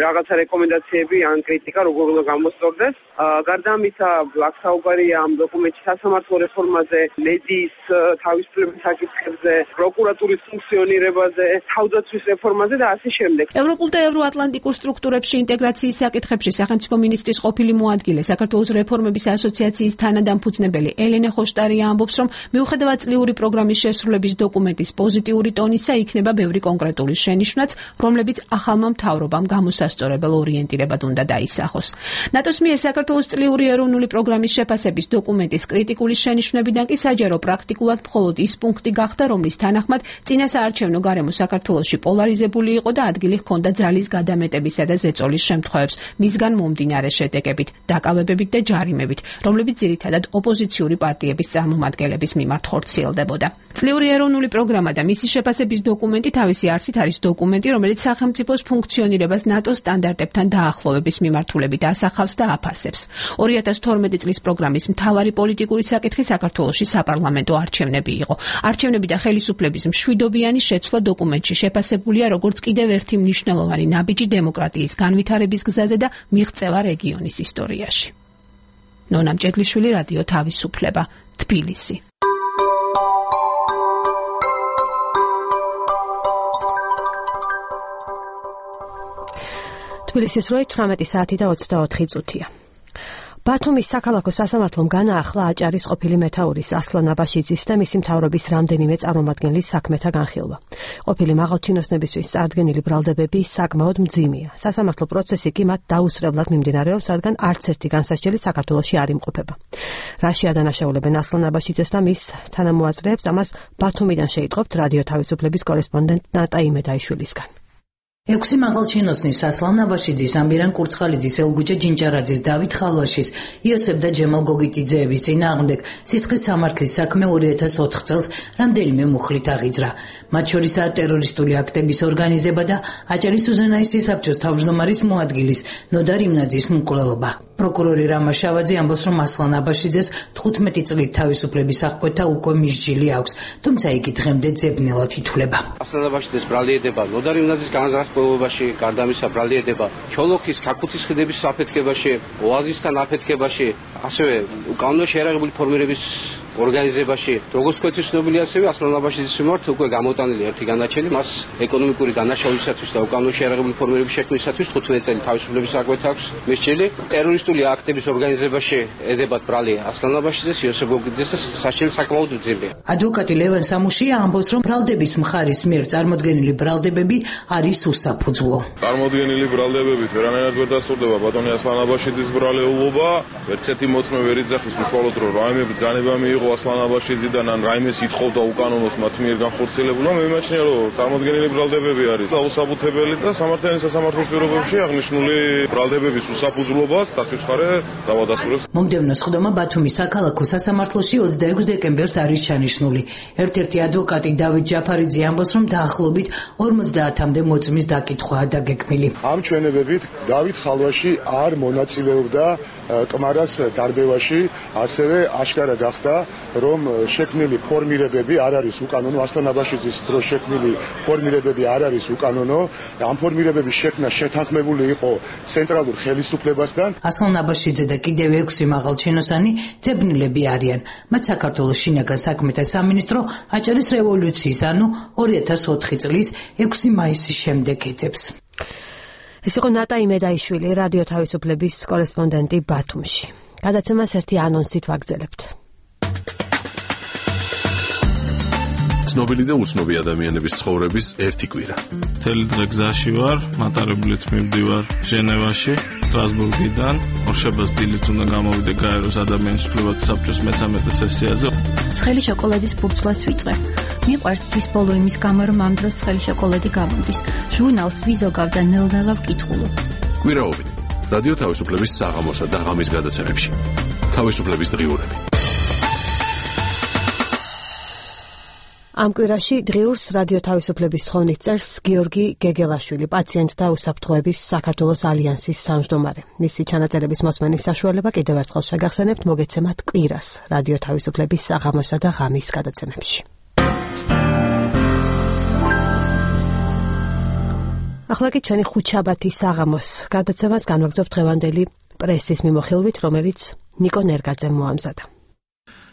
რაღაცა რეკომენდაციები ან კრიტიკა, როგორ უნდა გამოსწორდეს. გარდა ამისა, აქ საუბარია ამ დოკუმენტში სასამართლო რეფორმაზე, მედიის თავისუფლების საკითხებზე, პროკურატურის ფუნქციონირებაზე, თავდაცვის რეფორმაზე და ასე შემდეგ. ევროპულ და ევროატლანტიკურ სტრუქტურებში ინტეგრაციის საკითხებში სახელმწიფო მინისტრის ყოფილი მოადგილე, საქართველოს რეფორმების ასოციაციის თანადამფუძნებელი ელენე ხოშტარია ამბობს, რომ მიუხედავად წლიური პროგრამის შესრულების დოკუმენტის პოზიტიური ტონისა, იქნება ბევრი კონკრეტული შენიშვნაც, რომლებიც ახალმა მთავრობამ გამოსასწორებელ ორიენტირებად უნდა დაისახოს. ნატოს მიერ საქართველოს წლიური ეროვნული პროგრამის შეფასების დოკუმენტის კრიტიკული შენიშვნებიდან კი საჯარო პრაქტიკულად მხოლოდ ის პუნქტი გახდა, რომლის თანახმად წინასაარჩევნო გარემო საქართველოში პოლარიზებული იყო და ადგილი ჰქონდა ძალის გადამეტებისა და ზეწოლის შემთხვევებს, მისგან მომდინარე შედეგებით, დაკავებებით და ჯარიმებით, რომლებიც ძირითადად ოპოზიციური პარტიების წარმომადგენლების მიმართ ხორციელდებოდა. წლიური ეროვნული პროგრამა და მისი შეფასების დოკუმენტი თავისი არსით არის დოკუმენტი, რომელიც სახელმწიფოს ფუნქციონირებას ნატოს სტანდარტებთან დაახლოვების მიმართულებით ასახავს და აფასებს. 2012 წლის პროგრამის მთავარი პოლიტიკური საკითხი საქართველოში საპარლამენტო არჩევნები იყო. არჩევნები და ხელისუფლების მშვიდობიანი შეცვლა დოკუმენტში შეფასებულია როგორც კიდევ ერთი მნიშვნელოვანი ნაბიჯი დემოკრატიის განვითარების გზაზე და მიღწევა რეგიონის ისტორიაში. ნონა მჭედლიშვილი, რადიო თავისუფლება, თბილისი. თბილისის როი 18 საათი და 24 წუთია. ბათუმის საქალაქო სასამართლომ განაახლა აჭარის ყოფილი მეთაურის ასლან აბაშიძის და მისი მთავრობის რამდენიმე წარმომადგენლის საქმეთა განხილვა. ყოფილი მაღალჩინოსნებისთვის წარდგენილი ბრალდებები საკმაოდ მძიმეა. სასამართლო პროცესი კი მათ დაუსწრებლად მიმდინარეობს, რადგან არც ერთი განსასჯელი საქართველოში არ იმყოფება. რაში ადანაშაულებენ ასლან აბაშიძეს და მის თანამოაზრეებს, ამას ბათუმიდან შეიტყობთ რადიო თავისუფლების კორესპონდენტ ნატა იმედაიშვილისგან. 6 მაღალჩინოსნის ასლან აბაშიძის, ამბირან კურცხალიძის, ელგუჯა ჯინჭარაძის, დავით ხალვაშის, იოსებ და ჯემალ გოგიტიძეების წინააღმდეგ სისხლის სამართლის საქმე 2004 წელს რამდენიმე მუხლით აღიძრა. მათ შორისაა ტერორისტული აქტების ორგანიზება და აჭარის უზენაესი საბჭოს თავმჯდომარის მოადგილის ნოდა რიმნაძის მკვლელობა. პროკურორი რამა შავაძე ამბობს, რომ ასლან აბაშიძეს 15 წლით თავისუფლების აღკვეთა უკვე მისჯილი აქვს, თუმცა იგი დღემდე ძებნელად ითვლება. ასლან აბაშიძეს ბრალიერდება ნოდა რიმნაძის განზრახებაში, გარდამისა ბრალიერდება ჩოლოქის ქაქუცის ხიდების საფეთქებაში, ოაზისთან აფეთქებაში, ასევე უკანონო შეიარაღებული ფორმირების ორგანიზებაში. როგორც თქვენთვის ცნობილი, ასევე ასლან აბაშიძის მიმართ უკვე გამოტანილი ერთი განაჩენი, მას ეკონომიკური დანაშაულებისათვის და უკანონო შეიარაღებული ფორმირების შექმნისათვის 15 წელი თავისუფლების აღკვეთა აქვს მისჯილი. ტერორისტული აქტების ორგანიზებაში ედებათ ბრალი ასლან აბაშიძეს, იოსებ გოგიტიძეს საჭირო საკმაოდ ძიმია. ადვოკატი ლევან სამუშია ამბობს, რომ ბრალდების მხარის მიერ წარმოდგენილი ბრალდებები არის უსაფუძვლო. წარმოდგენილი ბრალდებებით ვერანაირად ვერ დასრულდება ბატონი ასლან აბაშიძის ბრალეულობა. ერთ-ერთი მოწმე ვერ იძახის უშუალოდ, რომ რაიმე ბრძანება მიიღო ასლან აბაშიძიდან ან რაიმეს ითხოვდა უკანონოს მათ მიერ განხორციელებულმა. მე მიმაჩნია, რომ წარმოდგენილი ბრალდებები არის დაუსაბუთებელი და სამართლიანი სასამართლოს პირობებში აღნიშნული ბრალდებების უსაფუძვლობას დათვისხარე დავადასტურებს. მომდევნო სხდომა ბათუმის საქალაქო სასამართლოში 26 დეკემბერს არის ჩანიშნული. ერთ-ერთი ადვოკატი დავით ჯაფარიძე ამბობს, რომ დაახლოებით 50-მდე მოწმის დაკითხვაა დაგეგმილი. ამ ჩვენებებით დავით ხალვაში არ მონაწილეობდა კმარას დარბევაში, ასევე აშკარა გახდა, რომ შექმნილი ფორმირებები არ არის უკანონო, ასლან აბაშიძის დროს შექმნილი ფორმირებები არ არის უკანონო. ამ ფორმირებების შექმნა შეთანხმებული იყო ცენტრალურ ხელისუფლებასთან. ასლან აბაშიძე და კიდევ 6 მაღალჩინოსანი ძებნილები არიან. მათ საქართველოს შინაგან საქმეთა სამინისტრო აჭარის რევოლუციის, ანუ 2004 წლის 6 მაისის შემდეგ ეძებს. ეს იყო ნატა იმედაიშვილი, რადიო თავისუფლების კორესპონდენტი ბათუმში. გადაცემას ერთი ანონსით ვაგრძელებთ. ცნობილი და უცნობი ადამიანების ცხოვრების ერთი კვირა. მთელი დღე გზაში ვარ, მატარებლით მივდივარ ჟენევაში, სტრასბურგიდან. ორშაბათს დილით უნდა გამოვიდე გაეროს ადამიანის უფლებათა საბჭოს მე-13 სესიაზე. ცხელი შოკოლადის ფურცლას ვიწყე. მიყვარს თვის ბოლო იმის გამო, რომ ამ დროს ცხელი შოკოლადი გამოდის. ჟურნალს ვიზოგავ და ნელ-ნელა ვკითხულობ. კვირაობით რადიო თავისუფლების საღამოსა და ღამის გადაცემებში. თავისუფლების დღიურები. ამ კვირაში დღიურს რადიო თავისუფლების თხოვნით წერს გიორგი გეგელაშვილი, პაციენტთა უსაფრთხოების საქართველოს ალიანსის თავმჯდომარე. მისი ჩანაწერების მოსმენის საშუალება კიდევ ერთხელ შეგახსენებთ, მოგეცემათ კვირას რადიო თავისუფლების საღამოსა და ღამის გადაცემებში. ახლა კი ჩვენი ხუთშაბათის საღამოს გადაცემას განვაგრძობთ დღევანდელი პრესის მიმოხილვით, რომელიც ნიკო ნერგაძე მოამზადა.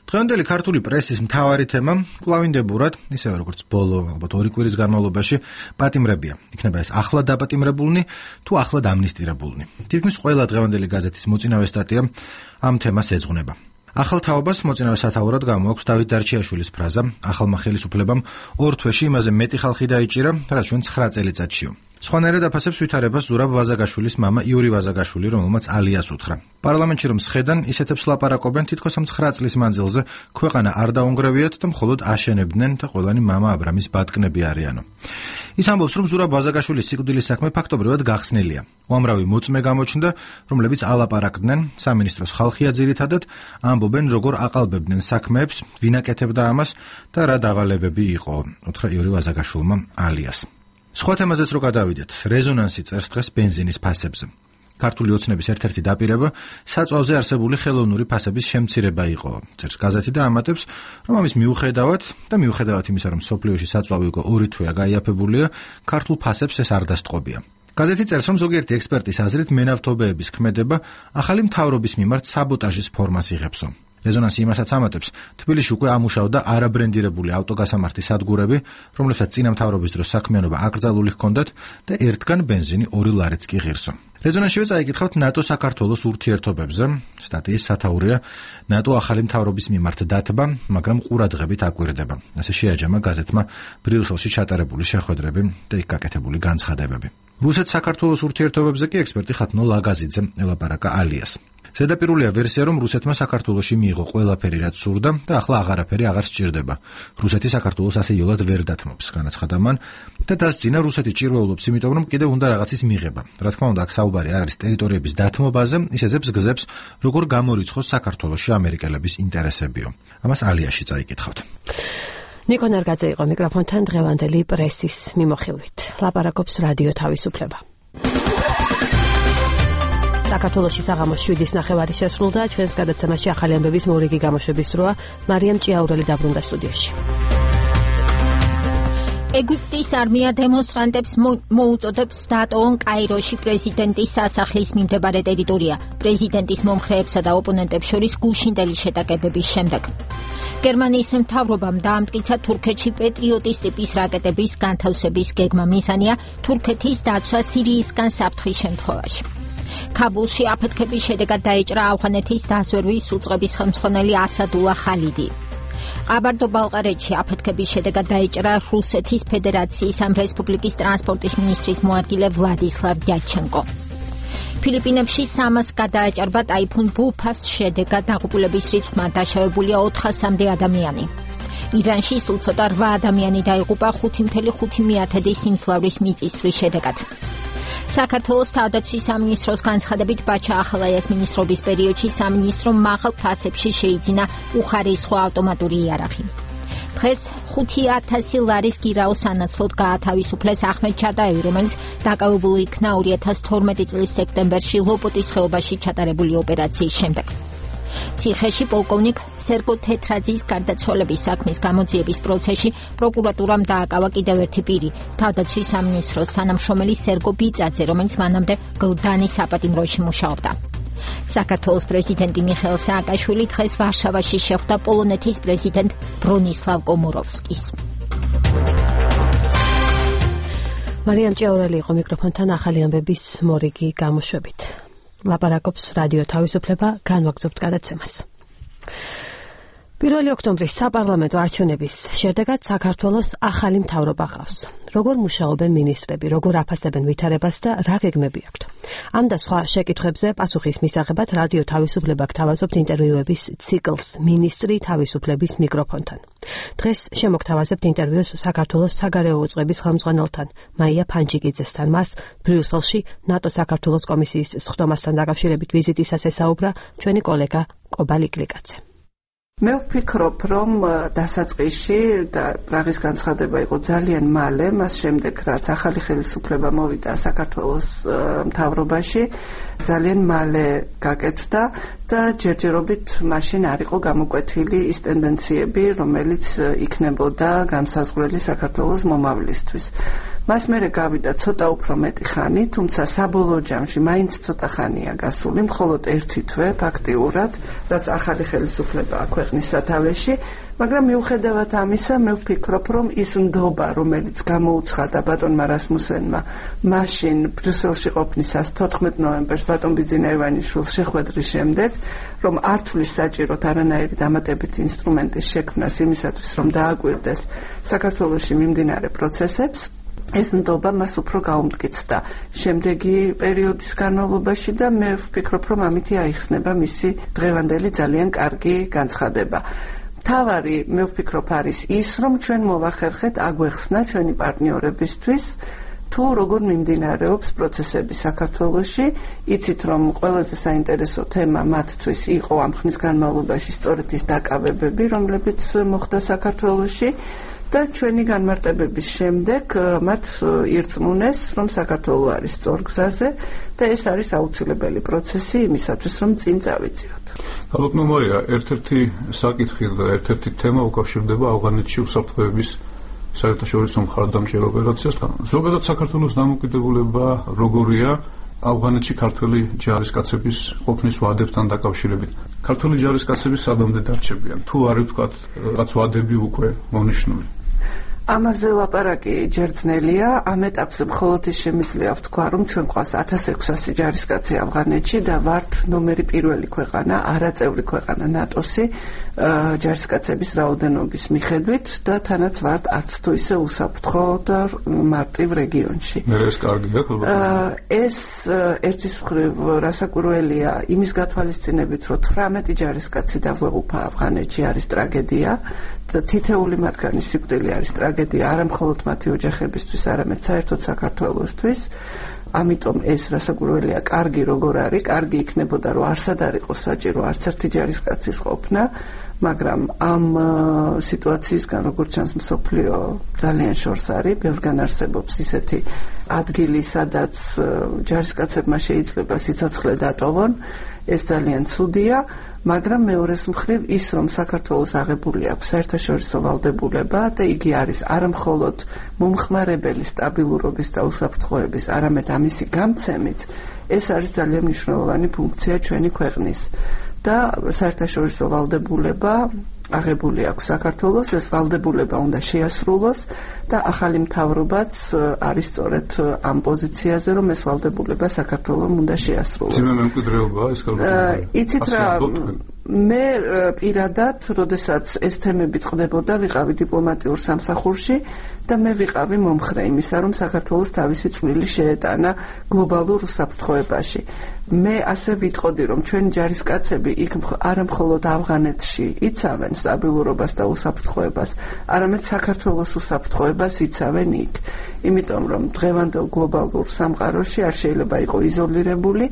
დღევანდელი ქართული პრესის მთავარი თემა კვლავინდებურად, ისევე როგორც ბოლო ალბათ 2 კვირის განმავლობაში, პატიმრებია. იქნება ეს ახლად დაპატიმრებულნი თუ ახლად ამნისტირებულნი. თითქმის ყველა დღევანდელი გაზეთის მოწინავე სტატია ამ თემას ეძღვნება. ახალ თაობას მოწინავე სათაურად გამოაქვს დავით დარჩიაშვილის ფრაზა, ახალმა ხელისუფლებამ 2 თვეში იმაზე მეტი ხალხი დაიჭირა, რაც ჩვენ 9 წელიწადშიო. სხვანაირად აფასებს ვითარებას ზურაბ ვაზაგაშვილის მამა იური ვაზაგაშვილი, რომელმაც ალიას უთხრა. პარლამენტში რომ სხედან, ისეთებს ლაპარაკობენ, თითქოს ამ 9 წლის მანძილზე ქვეყანა არ დაუნგრევიათ და მხოლოდ აშენებდნენ და ყველანი მამა აბრამის ბატკნები არიანო. ის ამბობს, რომ ზურაბ ვაზაგაშვილის სიკვდილის საქმე ფაქტობრივად გახსნილია. უამრავი მოწმე გამოჩნდა, რომლებიც ალაპარაკდნენ, სამინისტროს ხალხია ძირითადად, ამბობენ, როგორ აყალბებდნენ საქმეებს, ვინ აკეთებდა ამას და რა დავალებები იყო, უთხრა იური ვაზაგაშვილმა ალიას. სხვა თემაზეც რო გადავიდეთ, რეზონანსი წერს დღეს ბენზინის ფასებზე. ქართული ოცნების ერთ-ერთი დაპირება საწვავზე არსებული ხელოვნური ფასების შემცირება იყო. წერს გაზეთი და ამატებს, რომ ამის მიუხედავად იმისა, რომ სოფლიოში საწვავი უკვე 2 თვეა გაიაფებულია, ქართულ ფასებს ეს არ დასტყობია. გაზეთი წერს, რომ ზოგიერთი ექსპერტის აზრით მენავთობეების ქმედება ახალი მთავრობის მიმართ საბოტაჟის ფორმას იღებსო. რეზონანსი იმასაც ამატებს, თბილისში უკვე ამუშავდა არაბრენდირებული ავტოგასამართი სადგურები, რომლებსაც წინა მთავრობის დროს საქმიანობა აკრძალული ჰქონდათ და ერთგან ბენზინი 2 ლარიც კი ღირსო. რეზონანსშივე წაიკითხავთ ნატო-საქართველოს ურთიერთობებზე. სტატიის სათაურია ნატო ახალი მთავრობის მიმართ დათბა, მაგრამ ყურადღებით აკვირდება. ასე შეაჯამა გაზეთმა ბრიუსელში ჩატარებული შეხვედრები და იქ გაკეთებული განცხადებები. რუსეთ-საქართველოს ურთიერთობებზე კი ექსპერტი ხათნო ლაგაზიძე ელაპარაკა ალიას. ზედაპირულია ვერსია, რომ რუსეთმა საქართველოში მიიღო ყველაფერი, რაც სურდა და ახლა აღარაფერი აღარ სჭირდება. რუსეთი საქართველოს ასე იოლად ვერ დათმობს, განაცხადა მან და დასძინა რუსეთი ჭირვეულობს, იმიტომ რომ კიდევ უნდა რაღაცის მიღება. რა თქმა უნდა, აქ საუბარი არ არის ტერიტორიების დათმობაზე, ის ეძებს გზებს, როგორ გამორიცხოს საქართველოში ამერიკელების ინტერესებიო. ამას ალიაში წაიკითხავთ. ნიკო ნარგაძე იყო მიკროფონთან დღევანდელი პრესის მიმოხილვით. ლაპარაკობს რადიო თავისუფლება. საქართველოში საღამოს 7:09 შესრულდა. ჩვენს გადაცემაში ახალი ამბების მორიგი გამოშვების დროა. მარიამ ჭიაურელი დაბრუნდა სტუდიაში. ეგვიპტის არმია დემონსტრანტებს მოუწოდებს დატოვონ კაიროში პრეზიდენტის სასახლის მიმდებარე ტერიტორია. პრეზიდენტის მომხრეებსა და ოპონენტებს შორის გუშინდელი შეტაკებების შემდეგ. გერმანიის მთავრობამ დაამტკიცა თურქეთში პეტრიოტის ტიპის რაკეტების განთავსების გეგმა. მიზანია თურქეთის დაცვა სირიისგან საფრთხის შემთხვევაში. ქაბულში აფეთქების შედეგად დაეჭრა ავღანეთის დაზვერვის უწყების ხელმძღვანელი ასადულა ხალიდი. ყაბარდო-ბალყარეთში აფეთქების შედეგად დაეჭრა რუსეთის ფედერაციის ამ რესპუბლიკის ტრანსპორტის მინისტრის მოადგილე ვლადისლავ დიაჩენკო. ფილიპინებში 300 გადააჭარბა ტაიფუნ ბუფას შედეგად დაღუპულების რიცხვმა დაშავებულია 400-მდე ადამიანი. ირანში სულ ცოტა 8 ადამიანი დაიღუპა 5.5 სიმძლავრის მიწისძვრის შედეგად. საქართველოს თავდაცვის სამინისტროს განცხადებით ბაჩა ახალაიას მინისტრობის პერიოდში სამინისტრო მაღალ ფასებში შეიძინა უხარისხო ავტომატური იარაღი. დღეს 5,000 ლარის გირაო სანაცვლოდ გაათავისუფლეს ახმედ ჩადაევი, რომელიც დაკავებული იქნა 2012 წლის სექტემბერში ლოპოტის ხეობაში ჩატარებული ოპერაციის შემდეგ. ციხეში პოლკოვნიკ სერგო თეთრაძის გარდაცვალების საქმის გამოძიების პროცესში პროკურატურამ დააკავა კიდევ ერთი პირი, თავდაცვის სამინისტროს თანამშრომელი სერგო ბიწაძე, რომელიც მანამდე გლდანის საპატიმროში მუშაობდა. საქართველოს პრეზიდენტი მიხეილ სააკაშვილი დღეს ვარშავაში შეხვდა პოლონეთის პრეზიდენტ ბრონისლავ კომოროვსკის. მარიამ ჭიაურელი იყო მიკროფონთან ახალი ამბების მორიგი გამოშვებით. ლაპარაკობს რადიო თავისუფლება, განვაგრძობთ გადაცემას. 1 ოქტომბრის საპარლამენტო არჩევნების შედეგად საქართველოს ახალი მთავრობა ყავს. როგორ მუშაობენ მინისტრები, როგორ აფასებენ ვითარებას და რა გეგმები აქვთ. ამ და სხვა შეკითხვებზე პასუხის მისაღებად რადიო თავისუფლება გთავაზობთ ინტერვიუების ციკლს მინისტრი თავისუფლების მიკროფონთან. დღეს შემოგთავაზებთ ინტერვიუს საქართველოს საგარეო უწყების ხელმძღვანელთან მაია ფანჯიკიძესთან. მას ბრიუსელში ნატო საქართველოს კომისიის სხდომასთან დაკავშირებით ვიზიტისას ესაუბრა ჩვენი კოლეგა კობა ლიკლიკაძე. მე ვფიქრობ, რომ დასაწყისში და პრაღის განცხადება იყო ძალიან მალე, მას შემდეგ რაც ახალი ხელისუფლება მოვიდა საქართველოს მთავრობაში, ძალიან მალე გაკეთდა და ჯერჯერობით მაშინ არ იყო გამოკვეთილი ის ტენდენციები, რომელიც იქნებოდა განსაზღვრელი საქართველოს მომავლისთვის. მას მერე გავიდა ცოტა უფრო მეტი ხანი, თუმცა საბოლოო ჯამში მაინც ცოტა ხანია გასული, მხოლოდ 1 თვე ფაქტიურად, რაც ახალი ხელისუფლებაა ქვეყნის სათავეში, მაგრამ მიუხედავად ამისა, მე ვფიქრობ, რომ ის ნდობა, რომელიც გამოუცხადა ბატონმა რასმუსენმა მაშინ ბრიუსელში ყოფნისას 14 ნოემბერს ბატონ ბიძინაევანიშვილს შეხვედრის შემდეგ, რომ არ თulis საჭიროთ არანაირი დამატებითი ინსტრუმენტის შექმნას იმისათვის, რომ დააკვირდეს საქართველოში მიმდინარე პროცესებს, ეს ნდობა მას უფრო გაუმტკიცდა შემდეგი პერიოდის განმავლობაში და მე ვფიქრობ, რომ ამითი აიხსნება მისი დღევანდელი ძალიან კარგი განცხადება. თავარი მე ვფიქრობ არის ის, რომ ჩვენ მოვახერხეთ აგვეხსნა ჩვენი პარტნიორებისთვის თუ როგორ მიმდინარეობს პროცესები საქართველოში. იცით, რომ ყველაზე საინტერესო თემა მათთვის იყო ამ ხნის განმავლობაში სწორედ ის დაკავებები, რომლებიც მოხდა საქართველოში. და ჩვენი განმარტებების შემდეგ მათ ირწმუნეს, რომ საქართველო არის სწორ გზაზე და ეს არის აუცილებელი პროცესი იმისათვის, რომ წინ წავიწიოთ. ალბათ მოია ერთ-ერთი საკითხი და ერთ-ერთი თემა უკავშირდება ავღანეთში უსაფრთხოების საერთაშორისო მხარდამჭერ ოპერაციასთან. ზოგადად საქართველოს დამოუკიდებულება როგორია ავღანეთში ქართველი ჯარისკაცების ყოფნის ვადებთან დაკავშირებით. ქართველი ჯარისკაცები სადამდე დარჩებიან? თუ არის ვთქვათ, რაღაც ვადები უკვე მონიშნული? ამაზე ლაპარაკი ჯერ ძნელია, ამ ეტაპზე მხოლოდ ის შემიძლია ვთქვა, რომ ჩვენ გვყავს 1600 ჯარისკაცი ავღანეთში და ვართ ნომერი პირველი ქვეყანა, არაწევრი ქვეყანა ნატოსი ჯარისკაცების რაოდენობის მიხედვით და თანაც ვართ არც თუ ისე უსაფრთხო და მარტივ რეგიონში. ეს კარგია, ეს ერთის მხრივ რასაკვირველია იმის გათვალისწინებით, რომ 18 ჯარისკაცი დაგვეღუპა ავღანეთში არის ტრაგედია. თითეული მათგანი სიკვდილი არის ტრაგედია არა მხოლოდ მათი ოჯახებისთვის, არამედ საერთოდ საქართველოსთვის. ამიტომ ეს რასაკვირველია, კარგი როგორ არის, კარგი იქნებოდა, რომ არსად არ იყოს საჭირო არც ერთი ჯარისკაცის ყოფნა, მაგრამ ამ სიტუაციისგან როგორც ჩანს მსოფლიო ძალიან შორს არის, ბევრგან არსებობს ისეთი ადგილი, სადაც ჯარისკაცებმა შეიძლება სიცოცხლე დატოვონ, ეს ძალიან ცუდია. მაგრამ მეორეს მხრივ ის რომ საქართველოს აღებული აქვს საერთაშორისო ვალდებულება და იგი არის არა მხოლოდ მომხმარებელი სტაბილურობის და უსაფრთხოების, არამედ ამისი გამცემიც, ეს არის ძალიან მნიშვნელოვანი ფუნქცია ჩვენი ქვეყნის და საერთაშორისო ვალდებულება აღებული აქვს საქართველოს, ეს ვალდებულება უნდა შეასრულოს და ახალი მთავრობაც არის სწორედ ამ პოზიციაზე, რომ ეს ვალდებულება საქართველოს უნდა შეასრულოს. ძიმე მემკვიდრეობა ეს იცით რა, მე პირადად, როდესაც ეს თემები წყდებოდა, ვიყავი დიპლომატიურ სამსახურში და მე ვიყავი მომხრე იმისა, რომ საქართველოს თავისი წვლილი შეეტანა გლობალურ უსაფრთხოებაში. მე ასე ვიტყოდი, რომ ჩვენი ჯარისკაცები იქ არა მხოლოდ ავღანეთში იცავენ სტაბილურობას და უსაფრთხოებას, არამედ საქართველოს უსაფრთხოებას იცავენ იქ. იმიტომ რომ დღევანდელ გლობალურ სამყაროში არ შეიძლება იყო იზოლირებული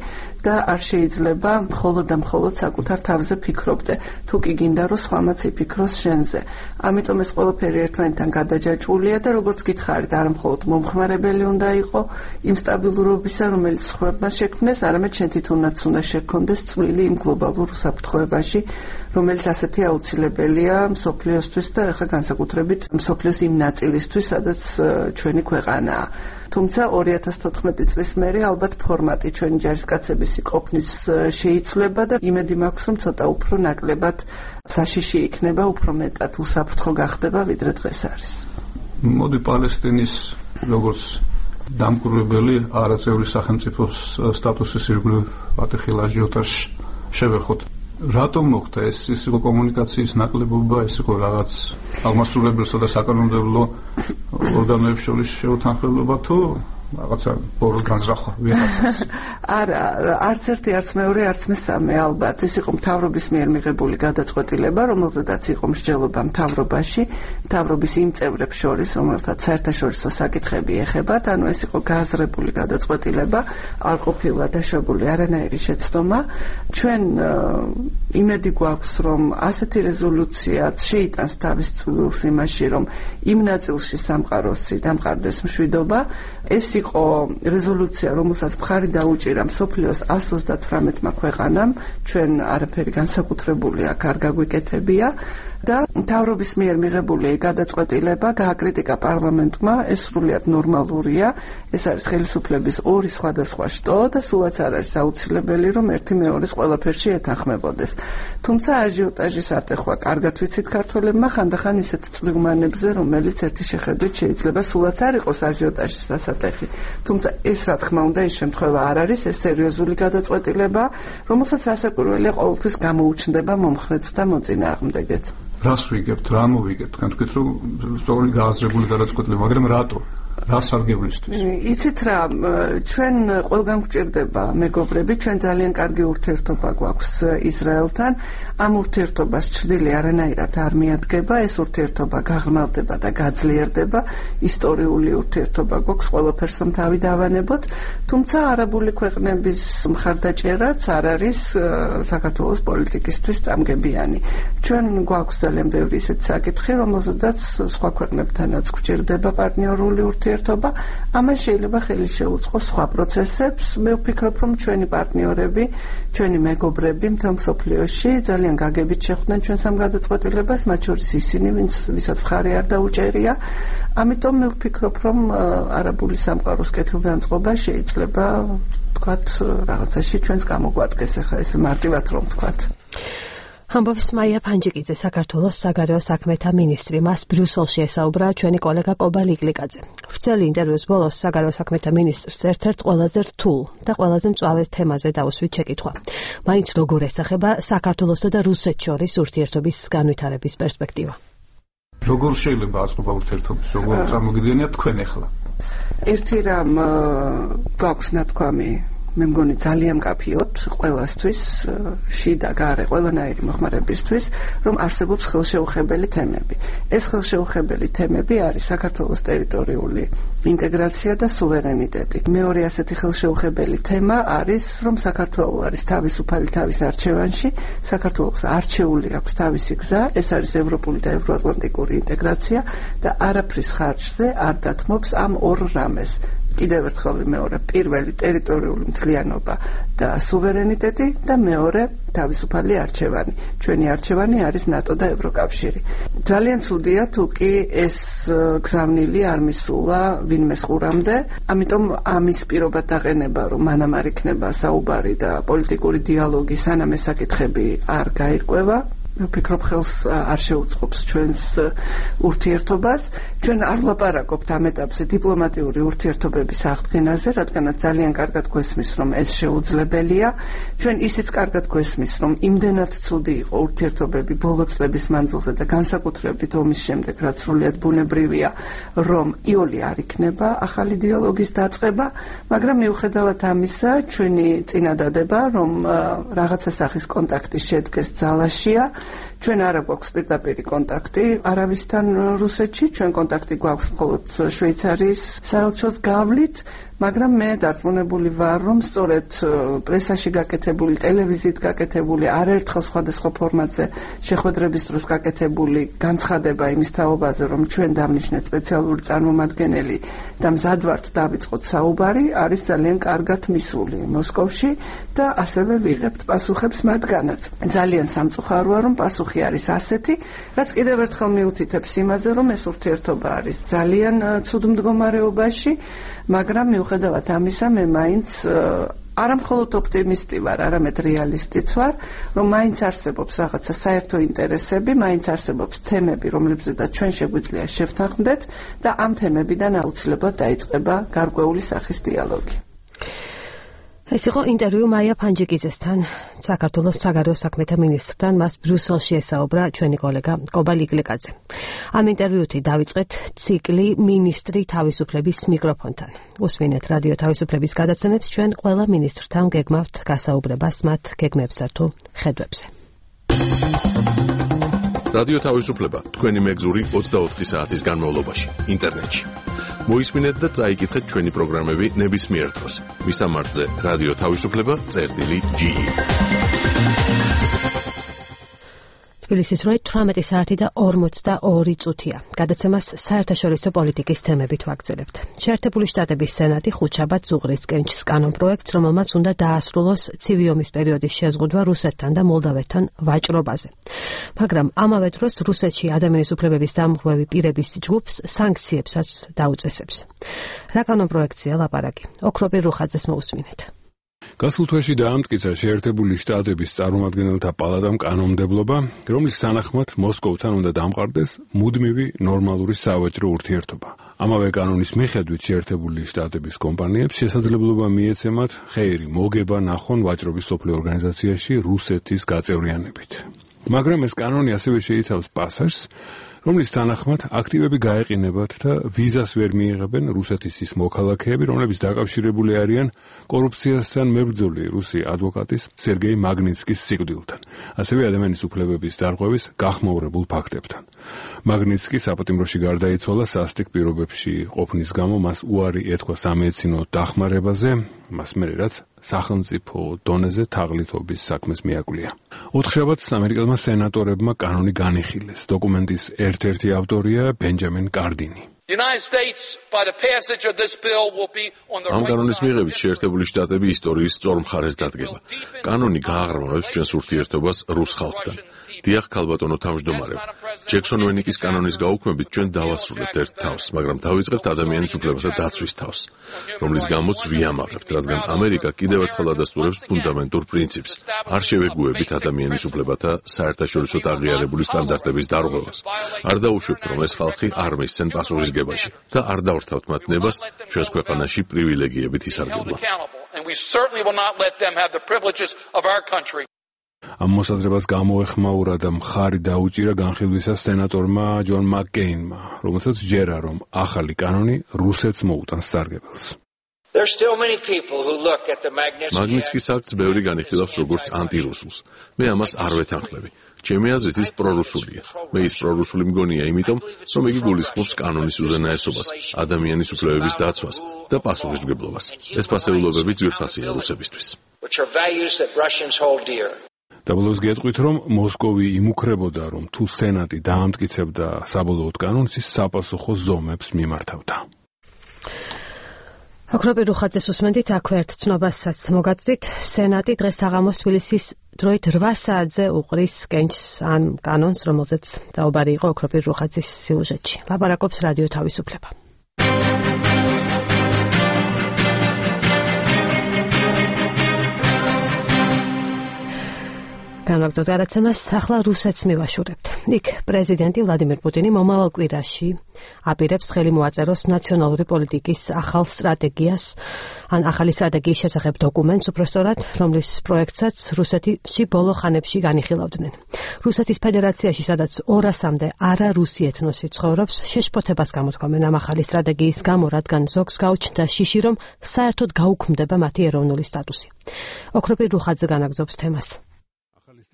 და არ შეიძლება მხოლოდ და მხოლოდ საკუთარ თავზე ფიქრობდე. თუ კი გინდა რომ სხვამაც იფიქროს შენზე. ამიტომ ეს ყველაფერი ერთმანეთთან გადაჯაჭვულია და როგორც გითხარით, არა მხოლოდ მომხმარებელი უნდა იყო იმ სტაბილურობისა, რომელიც სხვებმა შექმნეს, არამედ შენ თვითონაც უნდა შექონდეს წვლილი იმ გლობალურ უსაფრთხოებაში, რომელიც ასეთი აუცილებელია მსოფლიოსთვის და ახლა განსაკუთრებით მსოფლიოს იმ ნაწილისთვის, სადაც ჩვენი ქვეყანაა. თუმცა 2014 წლის მერე ალბათ ფორმატი ჩვენი ჯარისკაცების ყოფნის შეიცვლება და იმედი მაქვს, რომ ცოტა უფრო ნაკლებად საშიში იქნება, უფრო მეტად უსაფრთხო გახდება, ვიდრე დღეს არის. მოდი პალესტინის როგორც დამკვირვებელი არაწევრი სახელმწიფოს სტატუსის ირგვლივ ატეხილ აჟიოტაჟს შევეხოთ. რატომ მოხდა ეს იყო კომუნიკაციის ნაკლებობა, ეს იყო რაღაც აღმასრულებელსა და საკანონმდებლო ორგანოებს შორის შეუთანხმებლობა თუ რაღაცა ბოროს განზრახვა ვიღაცას? არა, არც ერთი, არც მეორე, არც მესამე ალბათ. ეს იყო მთავრობის მიერ მიღებული გადაწყვეტილება, რომელზედაც იყო მსჯელობა მთავრობაში, მთავრობის იმ წევრებს შორის, რომელთაც საერთაშორისო საკითხები ეხებათ, ანუ ეს იყო გააზრებული გადაწყვეტილება, არ ყოფილა დაშვებული არანაირი შეცდომა. ჩვენ იმედი გვაქვს, რომ ასეთი რეზოლუციაც შეიტანს თავის წვლილს იმაში, რომ იმ ნაწილში სამყაროსი დამყარდეს მშვიდობა. ეს იყო რეზოლუცია, რომელსაც მხარი დაუჭირა მსოფლიოს 138-მა ქვეყანამ, ჩვენ არაფერი განსაკუთრებული აქ არ გაგვიკეთებია და მთავრობის მიერ მიღებული გადაწყვეტილება გააკრიტიკა პარლამენტმა, ეს სრულიად ნორმალურია, ეს არის ხელისუფლების ორი სხვადასხვა შტო და სულაც არ არის აუცილებელი, რომ ერთი მეორეს ყველაფერში ეთანხმებოდეს. თუმცა აჟიოტაჟის ატეხვა კარგად ვიცით ქართველებმა ხანდახან ისეთ წვრილმანებზე, რომელიც ერთი შეხედვით შეიძლება სულაც არ იყოს აჟიოტაჟის დასატეხი. თუმცა ეს რა თქმა უნდა ის შემთხვევა არ არის, ეს სერიოზული გადაწყვეტილება, რომელსაც რასაკვირველია ყოველთვის გამოუჩნდება მომხრეც და მოწინააღმდეგეც. რას ვიგებთ, რა მოვიგებთ? თქვენ თქვით, რომ სწორი გააზრებული გადაწყვეტილება, მაგრამ რატო? რა სარგებლისთვის? იცით რა, ჩვენ ყველგან გვჭირდება მეგობრები, ჩვენ ძალიან კარგი ურთიერთობა გვაქვს ისრაელთან. ამ ურთიერთობას ჩრდილი არანაირად არ მიადგება, ეს ურთიერთობა გაღრმავდება და გაძლიერდება. ისტორიული ურთიერთობა გვაქვს, ყველაფერს რომ თავი დავანებოთ, თუმცა არაბული ქვეყნების მხარდაჭერაც არ არის საქართველოს პოლიტიკისთვის წამგებიანი. ჩვენ გვაქვს ძალიან ბევრი ისეთი საკითხი, რომელზედაც სხვა ქვეყნებთანაც გვჭირდება პარტნიორული ურთიერთობა, ამას შეიძლება ხელი შეუწყოს სხვა პროცესებს. მე ვფიქრობ, რომ ჩვენი პარტნიორები, ჩვენი მეგობრები მთელ მსოფლიოში ძალიან გაგებით შეხვდნენ ჩვენს ამ გადაწყვეტილებას, მათ შორის ისინი, ვისაც მხარი არ დაუჭერია. ამიტომ მე ვფიქრობ, რომ არაბული სამყაროს კეთილგანწყობა შეიძლება ვთქვათ რაღაცაში ჩვენს გამოგვადგეს, ახლა ესე მარტივად რომ ვთქვათ. ამბობს მაია ფანჯიკიძე, საქართველოს საგარეო საქმეთა მინისტრი. მას ბრიუსელში ესაუბრა ჩვენი კოლეგა კობა ლიკლიკაძე. ვრცელი ინტერვიუს ბოლოს საგარეო საქმეთა მინისტრს ერთ-ერთ ყველაზე რთულ და ყველაზე მწვავე თემაზე დაუსვით შეკითხვა. მაინც როგორ ესახება საქართველოსა და რუსეთს შორის ურთიერთობის განვითარების პერსპექტივა? როგორ შეიძლება აწყობა ურთიერთობის, როგორ წარმოგიდგენიათ თქვენ ახლა? ერთი რამ გვაქვს ნათქვამი, მე მგონი ძალიან კაფიოთ ყველასთვის, შიდა გარე ყველანაირი მოხმარებისთვის, რომ არსებობს ხელშეუხებელი თემები. ეს ხელშეუხებელი თემები არის საქართველოს ტერიტორიული ინტეგრაცია და სუვერენიტეტი. მეორე ასეთი ხელშეუხებელი თემა არის, რომ საქართველო არის თავისუფალი თავის არჩევანში, საქართველოს არჩეული აქვს თავისი გზა, ეს არის ევროპული და ევროატლანტიკური ინტეგრაცია და არაფრის ხარჯზე არ დათმობს ამ ორ რამეს. კიდევ ერთხელ მეორე, პირველი ტერიტორიული მთლიანობა და სუვერენიტეტი და მეორე თავისუფალი არჩევანი. ჩვენი არჩევანი არის ნატო და ევროკავშირი. ძალიან ცუდია თუ კი ეს გზავნილი არ მისულა ვინმე ხურამდე, ამიტომ ამის პირობად დაყენება, რომ მანამ არ იქნება საუბარი და პოლიტიკური დიალოგი, სანამ ეს საკითხები არ გაირკვევა. მე ვფიქრობ, ხელს არ შეუწყობს ჩვენს ურთიერთობას. ჩვენ არ ვლაპარაკობთ ამ ეტაპზე დიპლომატიური ურთიერთობების აღდგენაზე, რადგანაც ძალიან კარგად გვესმის, რომ ეს შეუძლებელია. ჩვენ ისიც კარგად გვესმის, რომ იმდენად ცუდი იყო ურთიერთობები ბოლო წლების მანძილზე და განსაკუთრებით ომის შემდეგ, რაც სრულიად ბუნებრივია, რომ იოლი არ იქნება ახალი დიალოგის დაწყება, მაგრამ მიუხედავად ამისა, ჩვენი წინადადება, რომ რაღაცა სახის კონტაქტი შედგეს ძალაშია. ჩვენ არ გვაქვს პირდაპირი კონტაქტი არავისთან რუსეთში, ჩვენ კონტაქტი გვაქვს მხოლოდ შვეიცარიის საელჩოს გავლით, მაგრამ მე დარწმუნებული ვარ, რომ სწორედ პრესაში გაკეთებული, ტელევიზიით გაკეთებული, არაერთხელ სხვადასხვა ფორმატზე შეხვედრების დროს გაკეთებული განცხადება იმის თაობაზე, რომ ჩვენ დამნიშნეთ სპეციალური წარმომადგენელი და მზად ვართ დავიწყოთ საუბარი, არის ძალიან კარგად მისული მოსკოვში და ასევე ვიღებთ პასუხებს მათგანაც. ძალიან სამწუხაროა, რომ პასუხი არის ასეთი, რაც კიდევ ერთხელ მიუთითებს იმაზე, რომ ეს ურთიერთობა არის ძალიან ცუდ მდგომარეობაში, მაგრამ მიუხედავად ამისა, მე მაინც არა მხოლოდ ოპტიმისტი ვარ, არამედ რეალისტიც ვარ, რომ მაინც არსებობს რაღაცა საერთო ინტერესები, მაინც არსებობს თემები, რომლებზედაც ჩვენ შეგვიძლია შევთანხმდეთ და ამ თემებიდან აუცილებლად დაიწყება გარკვეული სახის დიალოგი. ეს იყო ინტერვიუ მაია ფანჯიკიძესთან, საქართველოს საგარეო საქმეთა მინისტრთან, მას ბრიუსელში ესაუბრა ჩვენი კოლეგა კობა ლიკლიკაძე. ამ ინტერვიუთი დავიწყეთ ციკლი მინისტრი თავისუფლების მიკროფონთან. უსმინეთ რადიო თავისუფლების გადაცემებს, ჩვენ ყველა მინისტრთან გეგმავთ გასაუბრებას მათ გეგმებსა თუ ხედვებზე. რადიო თავისუფლება თქვენი მეგზური 24 საათის განმავლობაში ინტერნეტში. მოისმინეთ და წაიკითხეთ ჩვენი პროგრამები ნებისმიერ დროს. მისამართზე რადიო თავისუფლება.ge. თბილისის როი 18 საათი და 42 წუთია. გადაცემას საერთაშორისო პოლიტიკის თემებით ვაგრძელებთ. შეერთებული შტატების სენატი ხუთშაბათს უღრის კენჭს კანონპროექტს, რომელმაც უნდა დაასრულოს ცივი ომის პერიოდის შეზღუდვა რუსეთთან და მოლდავეთთან ვაჭრობაზე. მაგრამ ამავე დროს რუსეთში ადამიანის უფლებების დამღვრევი პირების ჯგუფს სანქციებსაც დაუწესებს. რა კანონპროექტია ლაპარაკი? ოქროპირ რუხაძეს მოусმინეთ. გასულ თვეში დაამტკიცა შეერთებული შტატების წარმომადგენელთა პალატამ კანონმდებლობა, რომლის თანახმად მოსკოვთან უნდა დამყარდეს მუდმივი ნორმალური სავაჭრო ურთიერთობა. ამავე კანონის მიხედვით შეერთებული შტატების კომპანიებს შესაძლებლობა მიეცემათ ხეირი მოგება ნახონ ვაჭრობის სოფლიო ორგანიზაციაში რუსეთის გაწევრიანებით. მაგრამ ეს კანონი ასევე შეიცავს პასაჟს, რომლის თანახმად აქტივები გაეყინებათ და ვიზას ვერ მიიღებენ რუსეთის ის მოქალაქეები, რომლებიც დაკავშირებული არიან კორუფციასთან მებრძოლი რუსი ადვოკატის სერგეი მაგნიცკის სიკვდილთან, ასევე ადამიანის უფლებების დარღვევის გახმაურებულ ფაქტებთან. მაგნიცკი საპატიმროში გარდაიცვალა სასტიკ პირობებში ყოფნის გამო, მას უარი ეთქვა სამედიცინო დახმარებაზე, მას მერე რაც სახელმწიფო დონეზე თაღლითობის საქმეს მიაკვლია. ოთხშაბათს ამერიკელმა სენატორებმა კანონი განიხილეს. დოკუმენტის ერთ-ერთი ავტორია ბენჯამინ კარდინი. ამ კანონის მიღებით შეერთებული შტატები ისტორიის სწორ მხარეს დადგება. კანონი გააღრმავებს ჩვენს ურთიერთობას რუს ხალხთან. დიახ, ქალბატონო თავმჯდომარე. ჯექსონ ვენიკის კანონის გაუქმებით ჩვენ დავასრულებთ ერთ თავს, მაგრამ დავიწყებთ ადამიანის უფლებათა დაცვის თავს, რომლის გამოც ვიამაყებთ, რადგან ამერიკა კიდევ ერთხელ ადასტურებს ფუნდამენტურ პრინციპს, არ შევეგუებით ადამიანის უფლებათა საერთაშორისო აღიარებული სტანდარტების დარღვევას. არ დაუშვებთ, რომ ეს ხალხი არ მისცენ პასუხისგებაში და არ დავრთავთ მათ ნებას ჩვენს ქვეყანაში პრივილეგიებით ისარგებლონ. ამ მოსაზრებას გამოეხმაურა და მხარი დაუჭირა განხილვისას სენატორმა ჯონ მაკკეინმა, რომელსაც ჯერა, რომ ახალი კანონი რუსეთს მოუტანს სარგებელს. მაგნიტსკის აქტს ბევრი განიხილავს როგორც ანტირუსულს. მე ამას არ ვეთანხმები. ჩემი აზრით ის პრორუსულია. მე ის პრორუსული მგონია, იმიტომ, რომ იგი გულისხმობს კანონის უზენაესობას, ადამიანის უფლებების დაცვას და პასუხისმგებლობას. ეს ფასეულობები ძვირფასია რუსებისთვის. დაბოლოს გეტყვით, რომ მოსკოვი იმუქრებოდა, რომ თუ სენატი დაამტკიცებდა საბოლოოდ კანონს, ის საპასუხო ზომებს მიმართავდა. ოქროპი რუხაძეს უსმენდით, აქვე ერთ ცნობასაც მოგაწვით. სენატი დღეს საღამოს თბილისის დროით 8 საათზე უყრის კენჭს ან კანონს, რომელზეც საუბარი იყო ოქროპი რუხაძის სიუჟეტში. ლაპარაკობს რადიო თავისუფლება. განაგრძოთ გადაცემას, ახლა რუსეთს მივაშურებთ. იქ პრეზიდენტი ვლადიმერ პუტინი მომავალ კვირაში აპირებს ხელი მოაწეროს ნაციონალური პოლიტიკის ახალი სტრატეგიის შესახებ დოკუმენტს, უпростоრად, რომლის პროექტსაც რუსეთში ბოლო ხანებში განიხილავდნენ. რუსეთის ფედერაციაში, სადაც 200-მდე არარუსი ეთნოსი ცხოვრობს, შეშფოთებას გამოთქვამენ ამ ახალი სტრატეგიის გამო, რადგან ზოგს გაუჩნდა შიში, რომ საერთოდ გაუქმდება მათი ეროვნული სტატუსი. ოქროპი რუხაძე განაგრძობს თემას.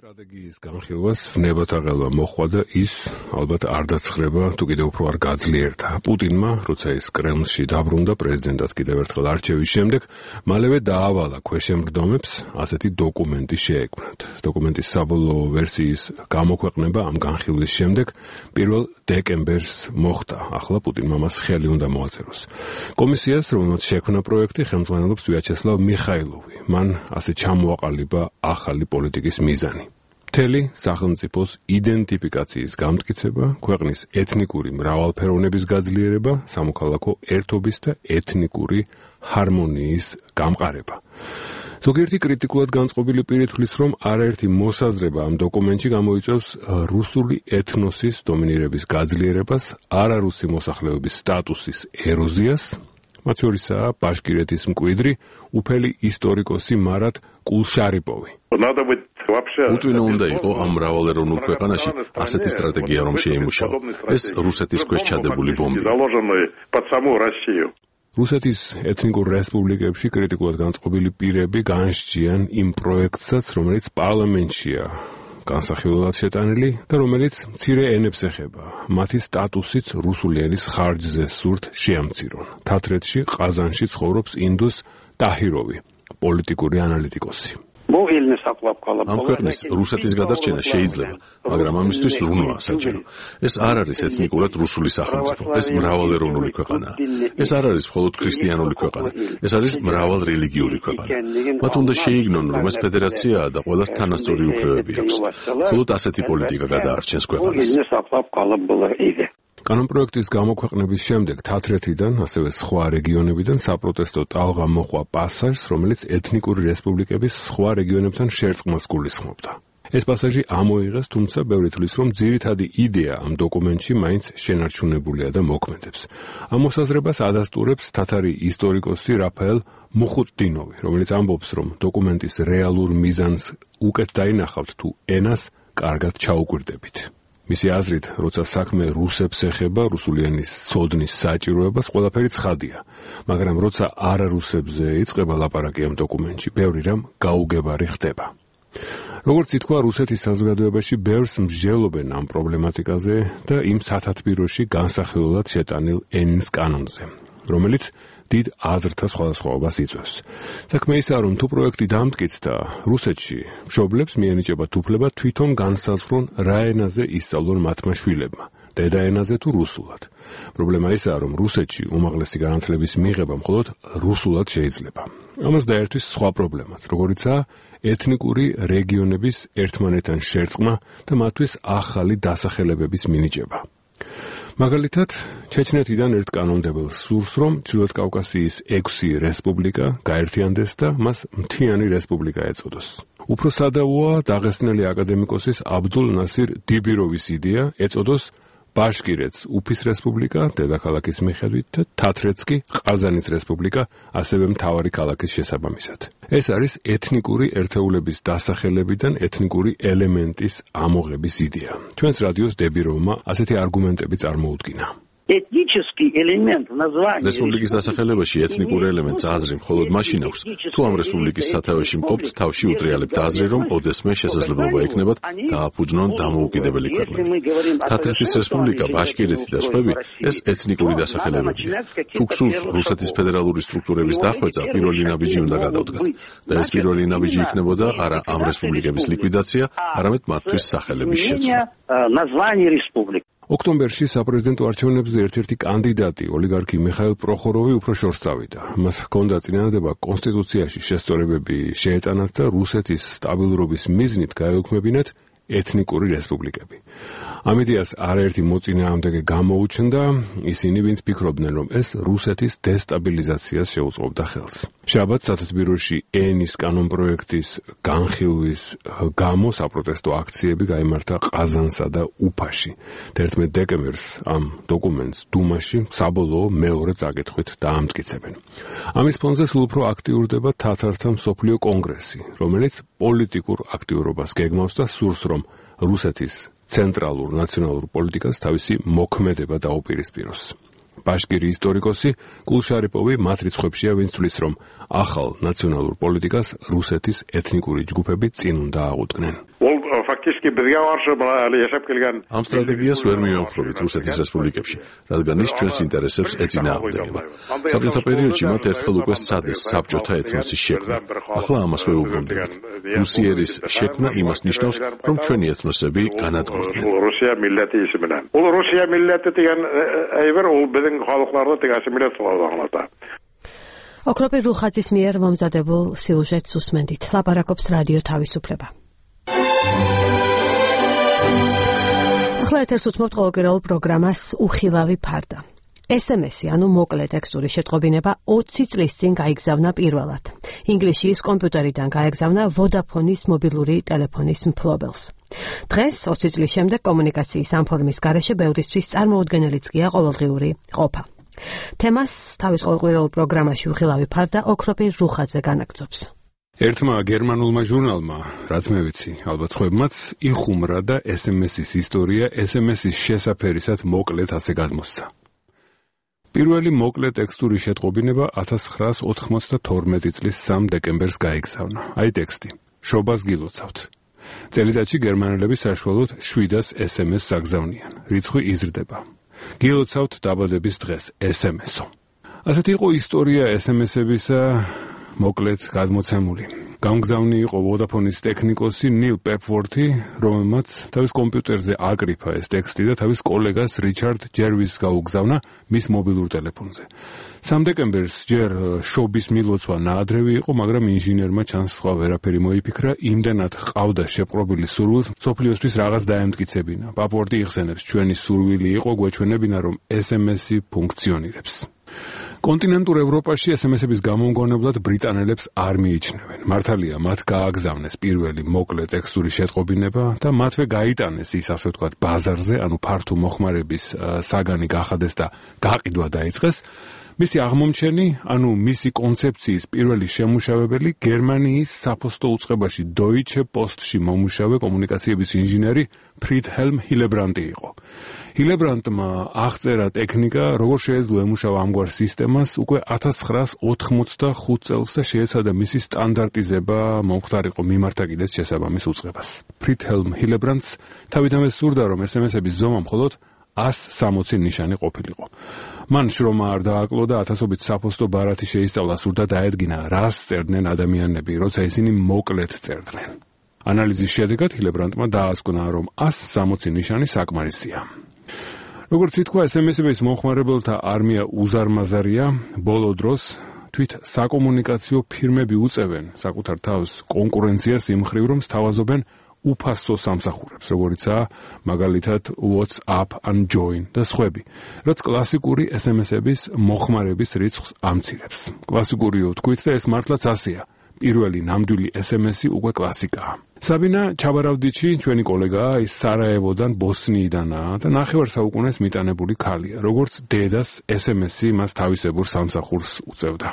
სტრატეგიის განხილვას ვნებათაღელვა მოხდა და ის ალბათ არ დაცხრება, თუ კიდევ უფრო არ გაძლიერდა. პუტინმა, როცა ის კრემლში დაბრუნდა პრეზიდენტად კიდევ ერთხელ არჩევის შემდეგ, მალევე დაავალა ქვეშემბრძომებს ასეთი დოკუმენტი შეექმნათ. დოკუმენტის საბოლოო ვერსიის გამოქვეყნება ამ განხილვის შემდეგ 1 დეკემბერს მოხდა. ახლა პუტინმა მას ხელი უნდა მოაწეროს. კომისიას, რომელმაც შექმნა პროექტი, ხელმძღვანელობს ვიაჩესლავ მიხაილოვი. მან ასე ჩამოაყალიბა ახალი პოლიტიკის მიზანი. მთელი სახელმწიფოს იდენტიფიკაციის გამტკიცება, ქვეყნის ეთნიკური მრავალფეროვნების გაძლიერება, სამოქალაქო ერთობის და ეთნიკური ჰარმონიის გამყარება. ზოგიერთი კრიტიკულად განწყობილი პირი თვლის, რომ არაერთი მოსაზრება ამ დოკუმენტში გამოიწვევს რუსული ეთნოსის დომინირების გაძლიერებას, არარუსი მოსახლეობის სტატუსის ეროზიას, მათ შორისაა ბაშკირეთის მკვიდრი, უფელი ისტორიკოსი მარატ კულშარიპოვი. უტვინო უნდა იყო ამ მრავალეროვნულ ქვეყანაში ასეთი სტრატეგია, რომ შეიმუშაო. ეს რუსეთის ქვეშ ჩადებული ბომბია. რუსეთის ეთნიკურ რესპუბლიკებში კრიტიკულად განწყობილი პირები განსჯიან იმ პროექტსაც, რომელიც პარლამენტშია განსახილველად შეტანილი და რომელიც მცირე ენებს ეხება. მათი სტატუსიც რუსული ენის ხარჯზე სურთ შეამცირონ. თათრეთში, ყაზანში ცხოვრობს ინდუს ტაჰიროვი, პოლიტიკური ანალიტიკოსი. ამ ქვეყნის რუსეთის გადარჩენა შეიძლება, მაგრამ ამისთვის ზრუნვაა საჭირო. ეს არ არის ეთნიკურად რუსული სახელმწიფო, ეს მრავალეროვნული ქვეყანაა. ეს არ არის მხოლოდ ქრისტიანული ქვეყანა, ეს არის მრავალრელიგიური ქვეყანა. მათ უნდა შეიგნონ, რომ ეს ფედერაციაა და ყველას თანასწორი უფლებები აქვს. მხოლოდ ასეთი პოლიტიკა გადაარჩენს ქვეყანას. კანონპროექტის გამოქვეყნების შემდეგ თათრეთიდან, ასევე სხვა რეგიონებიდან საპროტესტო ტალღა მოყვა პასაჟს, რომელიც ეთნიკური რესპუბლიკების სხვა რეგიონებთან შერწყმას გულისხმობდა. ეს პასაჟი ამოიღეს, თუმცა ბევრი თვლის, რომ ძირითადი იდეა ამ დოკუმენტში მაინც შენარჩუნებულია და მოქმედებს. ამ მოსაზრებას ადასტურებს თათარი ისტორიკოსი რაფაელ მუხუტდინოვი, რომელიც ამბობს, რომ დოკუმენტის რეალურ მიზანს უკეთ დაინახავთ, თუ ენას კარგად ჩაუკვირდებით. მისი აზრით, როცა საქმე რუსებს ეხება, რუსული ენის ცოდნის საჭიროებას, ყველაფერი ცხადია, მაგრამ როცა არარუსებზე იწყება ლაპარაკი ამ დოკუმენტში, ბევრი რამ გაუგებარი ხდება. როგორც ითქვა, რუსეთის საზოგადოებაში ბევრს მსჯელობენ ამ პრობლემატიკაზე და იმ სათათბიროში განსახილველად შეტანილ ენის კანონზე, რომელიც დიდ აზრთა სხვადასხვაობას იწვევს. საქმე ისაა, რომ თუ პროექტი დამტკიცდა, რუსეთში მშობლებს მიენიჭებათ უფლება თვითონ განსაზღვრონ რა ენაზე ისწავლონ მათმა შვილებმა დედაენაზე თუ რუსულად. პრობლემა ისაა, რომ რუსეთში უმაღლესი განათლების მიღება მხოლოდ რუსულად შეიძლება. ამას დაერთვის სხვა პრობლემაც, როგორიცაა ეთნიკური რეგიონების ერთმანეთთან შერწყმა და მათთვის ახალი დასახელებების მინიჭება. მაგალითად, ჩეჩნეთიდან ერთ კანონმდებელ სურს, რომ ჩრდილოეთ კავკასიის 6 რესპუბლიკა გაერთიანდეს და მას მთიანი რესპუბლიკა ეწოდოს. უფრო სადავოა დაღესტნელი აკადემიკოსის აბდულ ნასირ დიბიროვის იდეა ეწოდოს ბაშკირეთს უფის რესპუბლიკა, დედაქალაქის მიხედვით და თათრეთს კი ყაზანის რესპუბლიკა, ასევე მთავარი ქალაქის შესაბამისად. ეს არის ეთნიკური ერთეულების დასახელებიდან ეთნიკური ელემენტის ამოღების იდეა. ჩვენს რადიოს დებიროვმა ასეთი არგუმენტები წარმოუდგინა. Этнический элемент названия რესპუბლიკის დასახელებაში ეთნიკური ელემენტს აზრი მხოლოდ მაშინ აქვს, თუ ამ რესპუბლიკის სათავეში მყოფთ თავში უტრიალებთ აზრი, რომ ოდესმე შესაძლებლობა ექნებათ დააფუძნონ დამოუკიდებელი ქვეყნები. თათრეთის რესპუბლიკა, ბაშკირეთი და სხვები ეს ეთნიკური დასახელებებია. თუ გსურს რუსეთის ფედერალური სტრუქტურების დახვეწა, პირველი ნაბიჯი უნდა გადავდგათ და ეს პირველი ნაბიჯი იქნებოდა არა ამ რესპუბლიკების ლიკვიდაცია, არამედ მათთვის სახელების შეცვლა. ოქტომბერში საპრეზიდენტო არჩევნებზე ერთ-ერთი კანდიდატი, ოლიგარქი მიხაილ პროხოროვი უფრო შორს წავიდა. მას ჰქონდა წინადადება კონსტიტუციაში შესწორებები შეეტანათ და რუსეთის სტაბილურობის მიზნით გაეუქმებინათ ეთნიკური რესპუბლიკები. ამ იდეას არაერთი მოწინააღმდეგე გამოუჩნდა, ისინი ვინც ფიქრობდნენ, რომ ეს რუსეთის დესტაბილიზაციას შეუწყობდა ხელს. შაბათს სათათბიროში ენის კანონპროექტის განხილვის გამო საპროტესტო აქციები გაიმართა ყაზანსა და უფაში. 11 დეკემბერს ამ დოკუმენტს დუმაში საბოლოო მეორე წაკითხვით დაამტკიცებენ. ამის ფონზე სულ უფრო აქტიურდება თათართა მსოფლიო კონგრესი, რომელიც პოლიტიკურ აქტიურობას გეგმავს და სურს, რომ რუსეთის ცენტრალურ ნაციონალურ პოლიტიკას თავისი მოქმედება დაუპირისპიროს. ბაშკირი ისტორიკოსი კულშარიპოვი მათ რიცხვებშია, ვინც თვლის, რომ ახალ ნაციონალურ პოლიტიკას რუსეთის ეთნიკური ჯგუფები წინ უნდა აღუდგნენ. ამ სტრატეგიას ვერ მივამხრობთ რუსეთის რესპუბლიკებში, რადგან ის ჩვენს ინტერესებს ეწინააღმდეგება. საბჭოთა პერიოდში მათ ერთხელ უკვე სცადეს საბჭოთა ეთნოსის შექმნა. ახლა ამას ვეუბრუნდებით. რუსიერის შექმნა იმას ნიშნავს, რომ ჩვენი ეთნოსები განადგურდნენ. Rusiya milleti ismindən. O Rusiya milleti degan ayver o bizim xalqlarda tegasi millet qolağında. ოქროპი რუხაძის მიერ მომზადებულ სიუჟეტს უსმენდით. ლაპარაკობს რადიო თავისუფლება. ახლა ეთერს უთმობთ ყოველკვირეულ პროგრამას უხილავი ფარდა. SMS-ი, ანუ მოკლე ტექსტური შეტყობინება 20 წლის წინ გაიგზავნა პირველად. ინგლისის კომპიუტერიდან გაეგზავნა Vodafone-ის მობილური ტელეფონის მფლობელს. დღეს 20 წლის შემდეგ კომუნიკაციის ამ ფორმის გარეშე ბევრისთვის წარმოუდგენელიც გია ყოველდღიური ყოფა. თემას თავის ყოველკვირეულ პროგრამაში უხილავი ფარდა ოქროპი რუხაძე განაგრძობს. ერთმა გერმანულმა ჟურნალმა, რაც მე ვიცი, ალბათ ხვებმაც, იხუმრა და SMS-ის ისტორია SMS-ის შესაფერისად მოკლედ ასე გადმოსცა. პირველი მოკლე ტექსტური შეტყობინება 1992 წლის 3 დეკემბერს გაიგზავნა. აი ტექსტი. შობას გილოცავთ. წელიწადში გერმანელები საშუალოდ 700 SMS აგზავნიან. რიცხვი იზრდება. გილოცავთ დაბადების დღეს SMS-ო. ასეთი იყო ისტორია SMS-ებისა მოკლედ გადმოცემული. გამგზავნი იყო Vodafone-ის ტექნიკოსი ნილ პეპვორთი, რომელმაც თავის კომპიუტერზე აკრიფა ეს ტექსტი და თავის კოლეგას რიჩარდ ჯერვისს გაუგზავნა მის მობილურ ტელეფონზე. 3 დეკემბერს ჯერ შობის მილოცვა ნაადრევი იყო, მაგრამ ინჟინერმა ჩანს სხვა ვერაფერი მოიფიქრა, იმდენად ყავდა შეპყრობილი სურვილს, მსოფლიოსთვის რაღაც დაემტკიცებინა. პეპვორთი იხსენებს, ჩვენი სურვილი იყო გვეჩვენებინა, რომ SMS-ი ფუნქციონირებს. კონტინენტურ ევროპაში SMS-ების გამომგონებლად ბრიტანელებს არ მიიჩნევენ. მართალია, მათ გააგზავნეს პირველი მოკლე ტექსტური შეტყობინება და მათვე გაიტანეს ის, ასე ვთქვათ, ბაზარზე, ანუ ფართო მოხმარების საგანი გახადეს და გაყიდვა დაიწყეს. მისი აღმომჩენი, ანუ მისი კონცეფციის პირველი შემმუშავებელი გერმანიის საფოსტო უწყებაში Deutsche Postში მომუშავე კომუნიკაციების ინჟინერი ფრიდჰელმ ჰილებრანტი იყო. ჰილებრანტმა აღწერა ტექნიკა, როგორ შეეძლო ემუშავა ამგვარ სისტემას უკვე 1985 წელს და შეეცადა მისი სტანდარტიზება მომხდარიყო მიმართა კიდეც შესაბამის უწყებას. ფრიდჰელმ ჰილებრანტს თავიდანვე სურდა, რომ SMS-ების ზომა მხოლოდ 160 ნიშანი ყოფილიყო. მან შრომა არ დააკლო და ათასობით საფოსტო ბარათი შეისწავლა, სურდა დაედგინა, რას წერდნენ ადამიანები, როცა ისინი მოკლედ წერდნენ. ანალიზის შედეგად ჰილებრანტმა დაასკვნა, რომ 160 ნიშანი საკმარისია. როგორც ითქვა, SMS-ების მომხმარებელთა არმია უზარმაზარია, ბოლო დროს თვით საკომუნიკაციო ფირმები უწევენ საკუთარ თავს კონკურენციას იმ მხრივ, რომ სთავაზობენ უფასო სამსახურებს, როგორიცაა მაგალითად WhatsApp ან Join და სხვები, რაც კლასიკური SMS-ების მოხმარების რიცხვს ამცირებს. კლასიკურიო თქვით და ეს მართლაც ასეა. პირველი ნამდვილი SMS-ი უკვე კლასიკაა. საბინა ჩაბარავდიჩი, ჩვენი კოლეგაა, ის სარაევოდან, ბოსნიიდანაა და ნახევარ საუკუნეს მიტანებული ქალია. როგორც დედას SMS-ი მას თავისებურ სამსახურს უწევდა.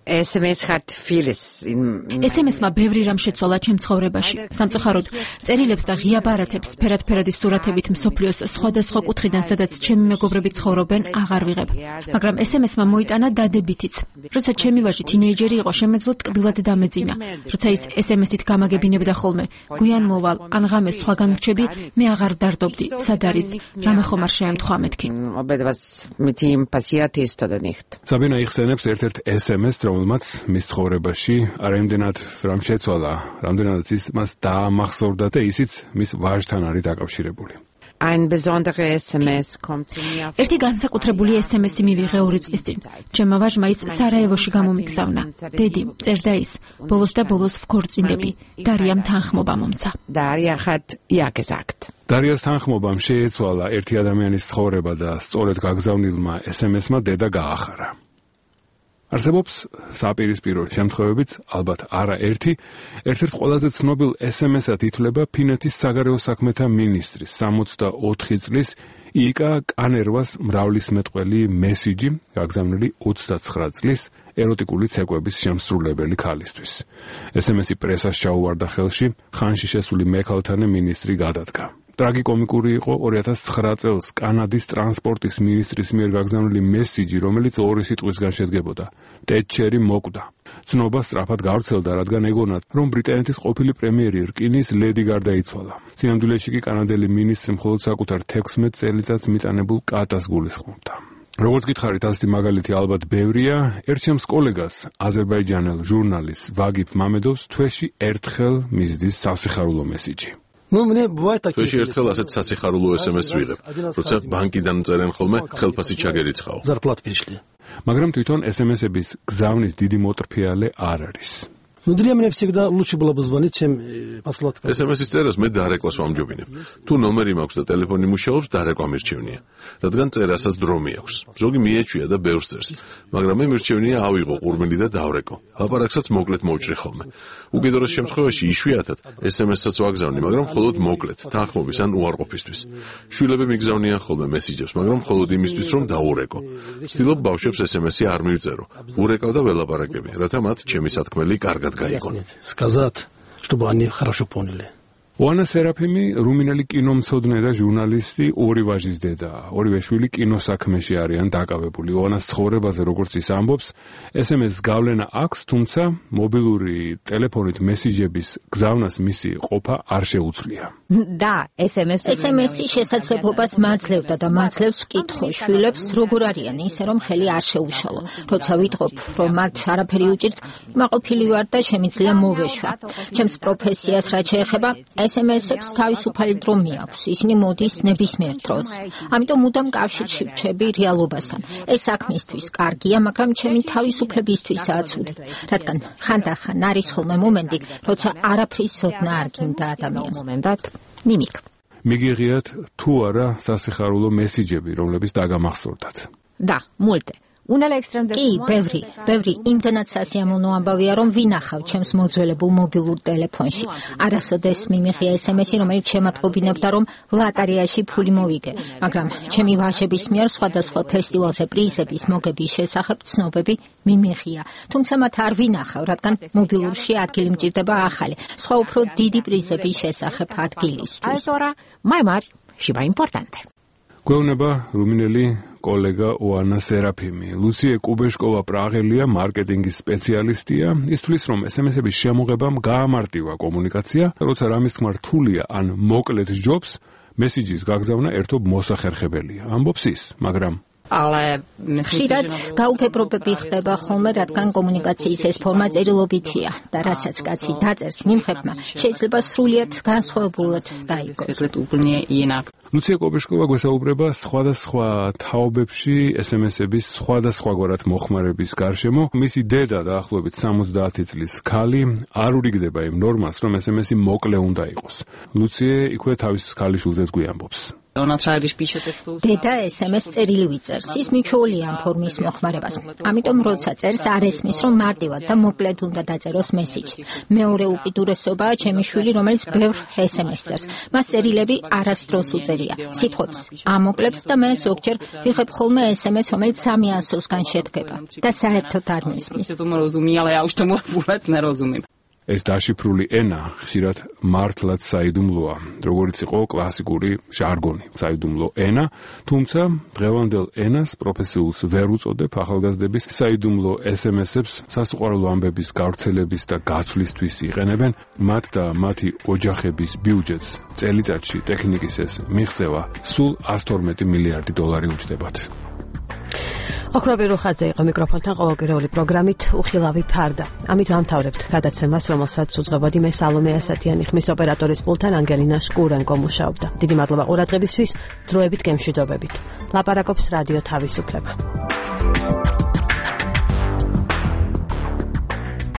SMS-მა ბევრი რამ შეცვალა ჩემ ცხოვრებაში. სამწუხაროდ, წერილებს და ღია ბარათებს ფერად-ფერადი სურათებით მსოფლიოს სხვადასხვა კუთხიდან, სადაც ჩემი მეგობრები ცხოვრობენ, აღარ ვიღებ. მაგრამ SMS-მა მოიტანა დადებითიც. როცა ჩემი ვაჟი თინეიჯერი იყო, შემეძლო ტკბილად დამეძინა. როცა ის SMS-ით გამაგებინებდა ხოლმე, გვიან მოვალ, ან ღამე სხვაგან რჩები, მე აღარ დარდობდი. სად არის? რამე ხომ არ შეემთხვა მეთქი. საბინა იხსენებს ერთ-ერთ SMS-ს, რომელმაც მის ცხოვრებაში არაიმდენად რამ შეცვალა, რამდენადაც ის მას დაამახსოვრდა და ისიც მის ვაჟთან არის დაკავშირებული. ერთი განსაკუთრებული SMS-ი მივიღე 2 წლის წინ. ჩემმა ვაჟმა ის სარაევოში გამომიგზავნა. დედი, წერდა ის, ბოლოს და ბოლოს ვქორწინდები. დარიამ თანხმობა მომცა. დარიას თანხმობამ შეეცვალა ერთი ადამიანის ცხოვრება და სწორედ გაგზავნილმა SMS-მა დედა გაახარა. არსებობს საპირისპირო შემთხვევებიც, ალბათ არა ერთი, ერთ-ერთ ყველაზე ცნობილ SMS-ად ითვლება ფინეთის საგარეო საქმეთა მინისტრის 64 წლის იკა კანერვას მრავლისმეტყველი მესიჯი, გაგზავნილი 29 წლის ეროტიკული ცეკვების შემსრულებელი ქალისთვის. SMS-ი პრესას ჩაუვარდა ხელში, ხანში შესული მექალთანე მინისტრი გადადგა. ტრაგიკომიკური იყო 2009 წელს კანადის ტრანსპორტის მინისტრის მიერ გაგზავნილი მესიჯი, რომელიც 2 სიტყვისგან შედგებოდა. ტეტჩერი მოკვდა. ცნობა სწრაფად გავრცელდა, რადგან ეგონათ, რომ ბრიტანეთის ყოფილი პრემიერი რკინის ლედი გარდაიცვალა. სინამდვილეში კი კანადელი მინისტრი მხოლოდ საკუთარ 16 წელიწადს მიტანებულ კატას გულისხმობდა. როგორც გითხარით, ასეთი მაგალითი ალბათ ბევრია. ერთ ჩემს კოლეგას, აზერბაიჯანელ ჟურნალისტს ვაგიფ მამედოვს თვეში ერთხელ მისდის სასიხარულო მესიჯი. თვეში ერთხელ ასეთ სასიხარულო SMS ვიღებ, როცა ბანკიდან წერენ ხოლმე ხელფასი ჩაგერიცხაო. მაგრამ თვითონ SMS-ების გზავნის დიდი მოტრფიალე არ არის. Для меня всегда лучше было бы звонить, чем послать. SMS-ის წერას მე დარეკვას ვამჯობინებ. თუ ნომერი მაქვს და ტელეფონი მუშაობს, დარეკვა მირჩევნია. რადგან წერასაც დრო მიაქვს. ზოგი მიეჩვია და ბევრს წერს, მაგრამ მე მირჩევნია ავიღო ყურმილი და დავრეკო. ლაპარაკსაც მოკლედ მოვჭრი ხოლმე. უკიდურეს შემთხვევაში იშვიათად SMS-საც ვაგზავნი, მაგრამ მხოლოდ მოკლედ, თანხმობის ან უარყოფისთვის. შვილები მიგზავნიან ხოლმე მესიჯებს, მაგრამ მხოლოდ იმისთვის, რომ დაურეკო. ვცდილობ ბავშვებს SMS-ი არ მივწერო. ვურეკავ და ველაპარაკები, რათა მათ ჩემი სათქმელი კარგად сказать, чтобы они хорошо поняли. ოანა სერაფიმი რუმინელი კინომცოდნე და ჟურნალისტი, 2 ვაჟის დედა. 2 შვილი კინოსაქმეში არიან დაკავებული. ოანას ცხოვრებაზე, როგორც ის ამბობს, SMS გავლენა აქვს, თუმცა მობილური ტელეფონით მესიჯების გზავნას მისი ყოფა არ შეუძლია. და SMS-ი შესაძლებლობას მაძლევდა და მაძლევს ვკითხო შვილებს, როგორ არიან ისე, რომ ხელი არ შეუშალო. როცა ვიტყობ, რომ მათ არაფერი უჭირთ, მაყოფილი ვარ და შემიძლია მოვეშვა. ჩემს პროფესიას რაც შეეხება, SMS-ებს თავისუფალი დრო მიაქვს. ისინი მოდის ნებისმიერ დროს. ამიტომ მუდამ კავშირში ვრჩები რეალობასთან. ეს საქმისთვის კარგია, მაგრამ ჩემი თავისუფლებისთვისაც ცუდი. რადგან ხანდახან არის ხოლმე მომენტი, როცა არაფრის ზოდნა არ გინდა ადამიანს. მიმიკ. მიგიღიათ თუ არა სასიხარულო მესიჯები, რომლებიც დაგამახსოვრდათ. და, მულტე. კი, ბევრი, იმდანაც სასიამოვნო ამბავია, რომ ვინახავ ჩემს მოძველებულ მობილურ ტელეფონში. არასოდეს მიმიღია SMS-ი, რომელიც შემატყობინებდა, რომ ლატარიაში ფული მოვიგე, მაგრამ ჩემი ვაჟების მიერ სხვადასხვა ფესტივალზე პრიზების მოგების შესახებ ცნობები მიმიღია. თუმცა მათ არ ვინახავ, რადგან მობილურში ადგილი მჭირდება ახალი, სხვა უფრო დიდი პრიზების შესახებ ადგილისთვის. გვეუბნება რუმინელი კოლეგა ოანა სერაფიმი. ლუციე კუბეშკოვა პრაღელია, მარკეტინგის სპეციალისტია. ის თვლის, რომ SMS-ების შემოღებამ გაამარტივა კომუნიკაცია, როცა რამის თქმა რთულია ან მოკლედ ჯობს, მესიჯის გაგზავნა ერთობ მოსახერხებელია. ამბობს ის, მაგრამ ხშირად გაუფებრობები ხდება ხოლმე, რადგან კომუნიკაციის ეს ფორმა წერილობითია და რასაც კაცი დაწერს მიმხებმა, შეიძლება სრულიად განსხვავებულად დაიგოს. ლუცია კობეშკოვა გვესაუბრება სხვადასხვა თაობებში SMS-ების სხვადასხვაგვარად მოხმარების გარშემო. მისი დედა დაახლოებით 70 წლის ქალი არ ურიგდება იმ ნორმას, რომ SMS-ი მოკლე უნდა იყოს. ლუცია იქვე თავის ქალიშვილზეც გვიამბობს. დედა SMS წერილი ვიწერს, ის მიჩვეულია ამ ფორმის მოხმარებას. ამიტომ როცა წერს არ ესმის, რომ მარტივად და მოკლედ უნდა დაწეროს მესიჯი. მეორე უკიდურესობაა ჩემი შვილი, რომელიც ბევრ SMS წერს. მას წერილები არასდროს უწერია. სიტყვებს ამოკლებს და მე ზოგჯერ ვიღებ ხოლმე SMS, რომელიც 300-სგან შედგება და საერთოდ არ მესმის. ეს დაშიფრული ენა ხშირად მართლაც საიდუმლოა, როგორც იყო კლასიკური ჟარგონი, საიდუმლო ენა, თუმცა დღევანდელ ენას პროფესიულს ვერ უწოდებ ახალგაზრდების საიდუმლო SMS-ებს სასუყარულო ამბების გავრცელების და გაცვლისთვის იყენებენ, მათ და მათი ოჯახების ბიუჯეტს წელიწადში ტექნიკის ეს მიღწევა სულ 112 მილიარდი დოლარი უჯდებათ. ოქრობი რუხაძე იყო მიკროფონთან ყოველკვირეული პროგრამით უხილავი ფარდა. ამით ვამთავრებთ გადაცემას, რომელსაც უძღვებოდი მე სალომე ასათიანი, ხმის ოპერატორის პულტთან ანგელინა შკურენკო მუშაობდა. დიდი მადლობა ყურადღებისთვის, დროებით გემშვიდობებით. ლაპარაკობს რადიო თავისუფლება.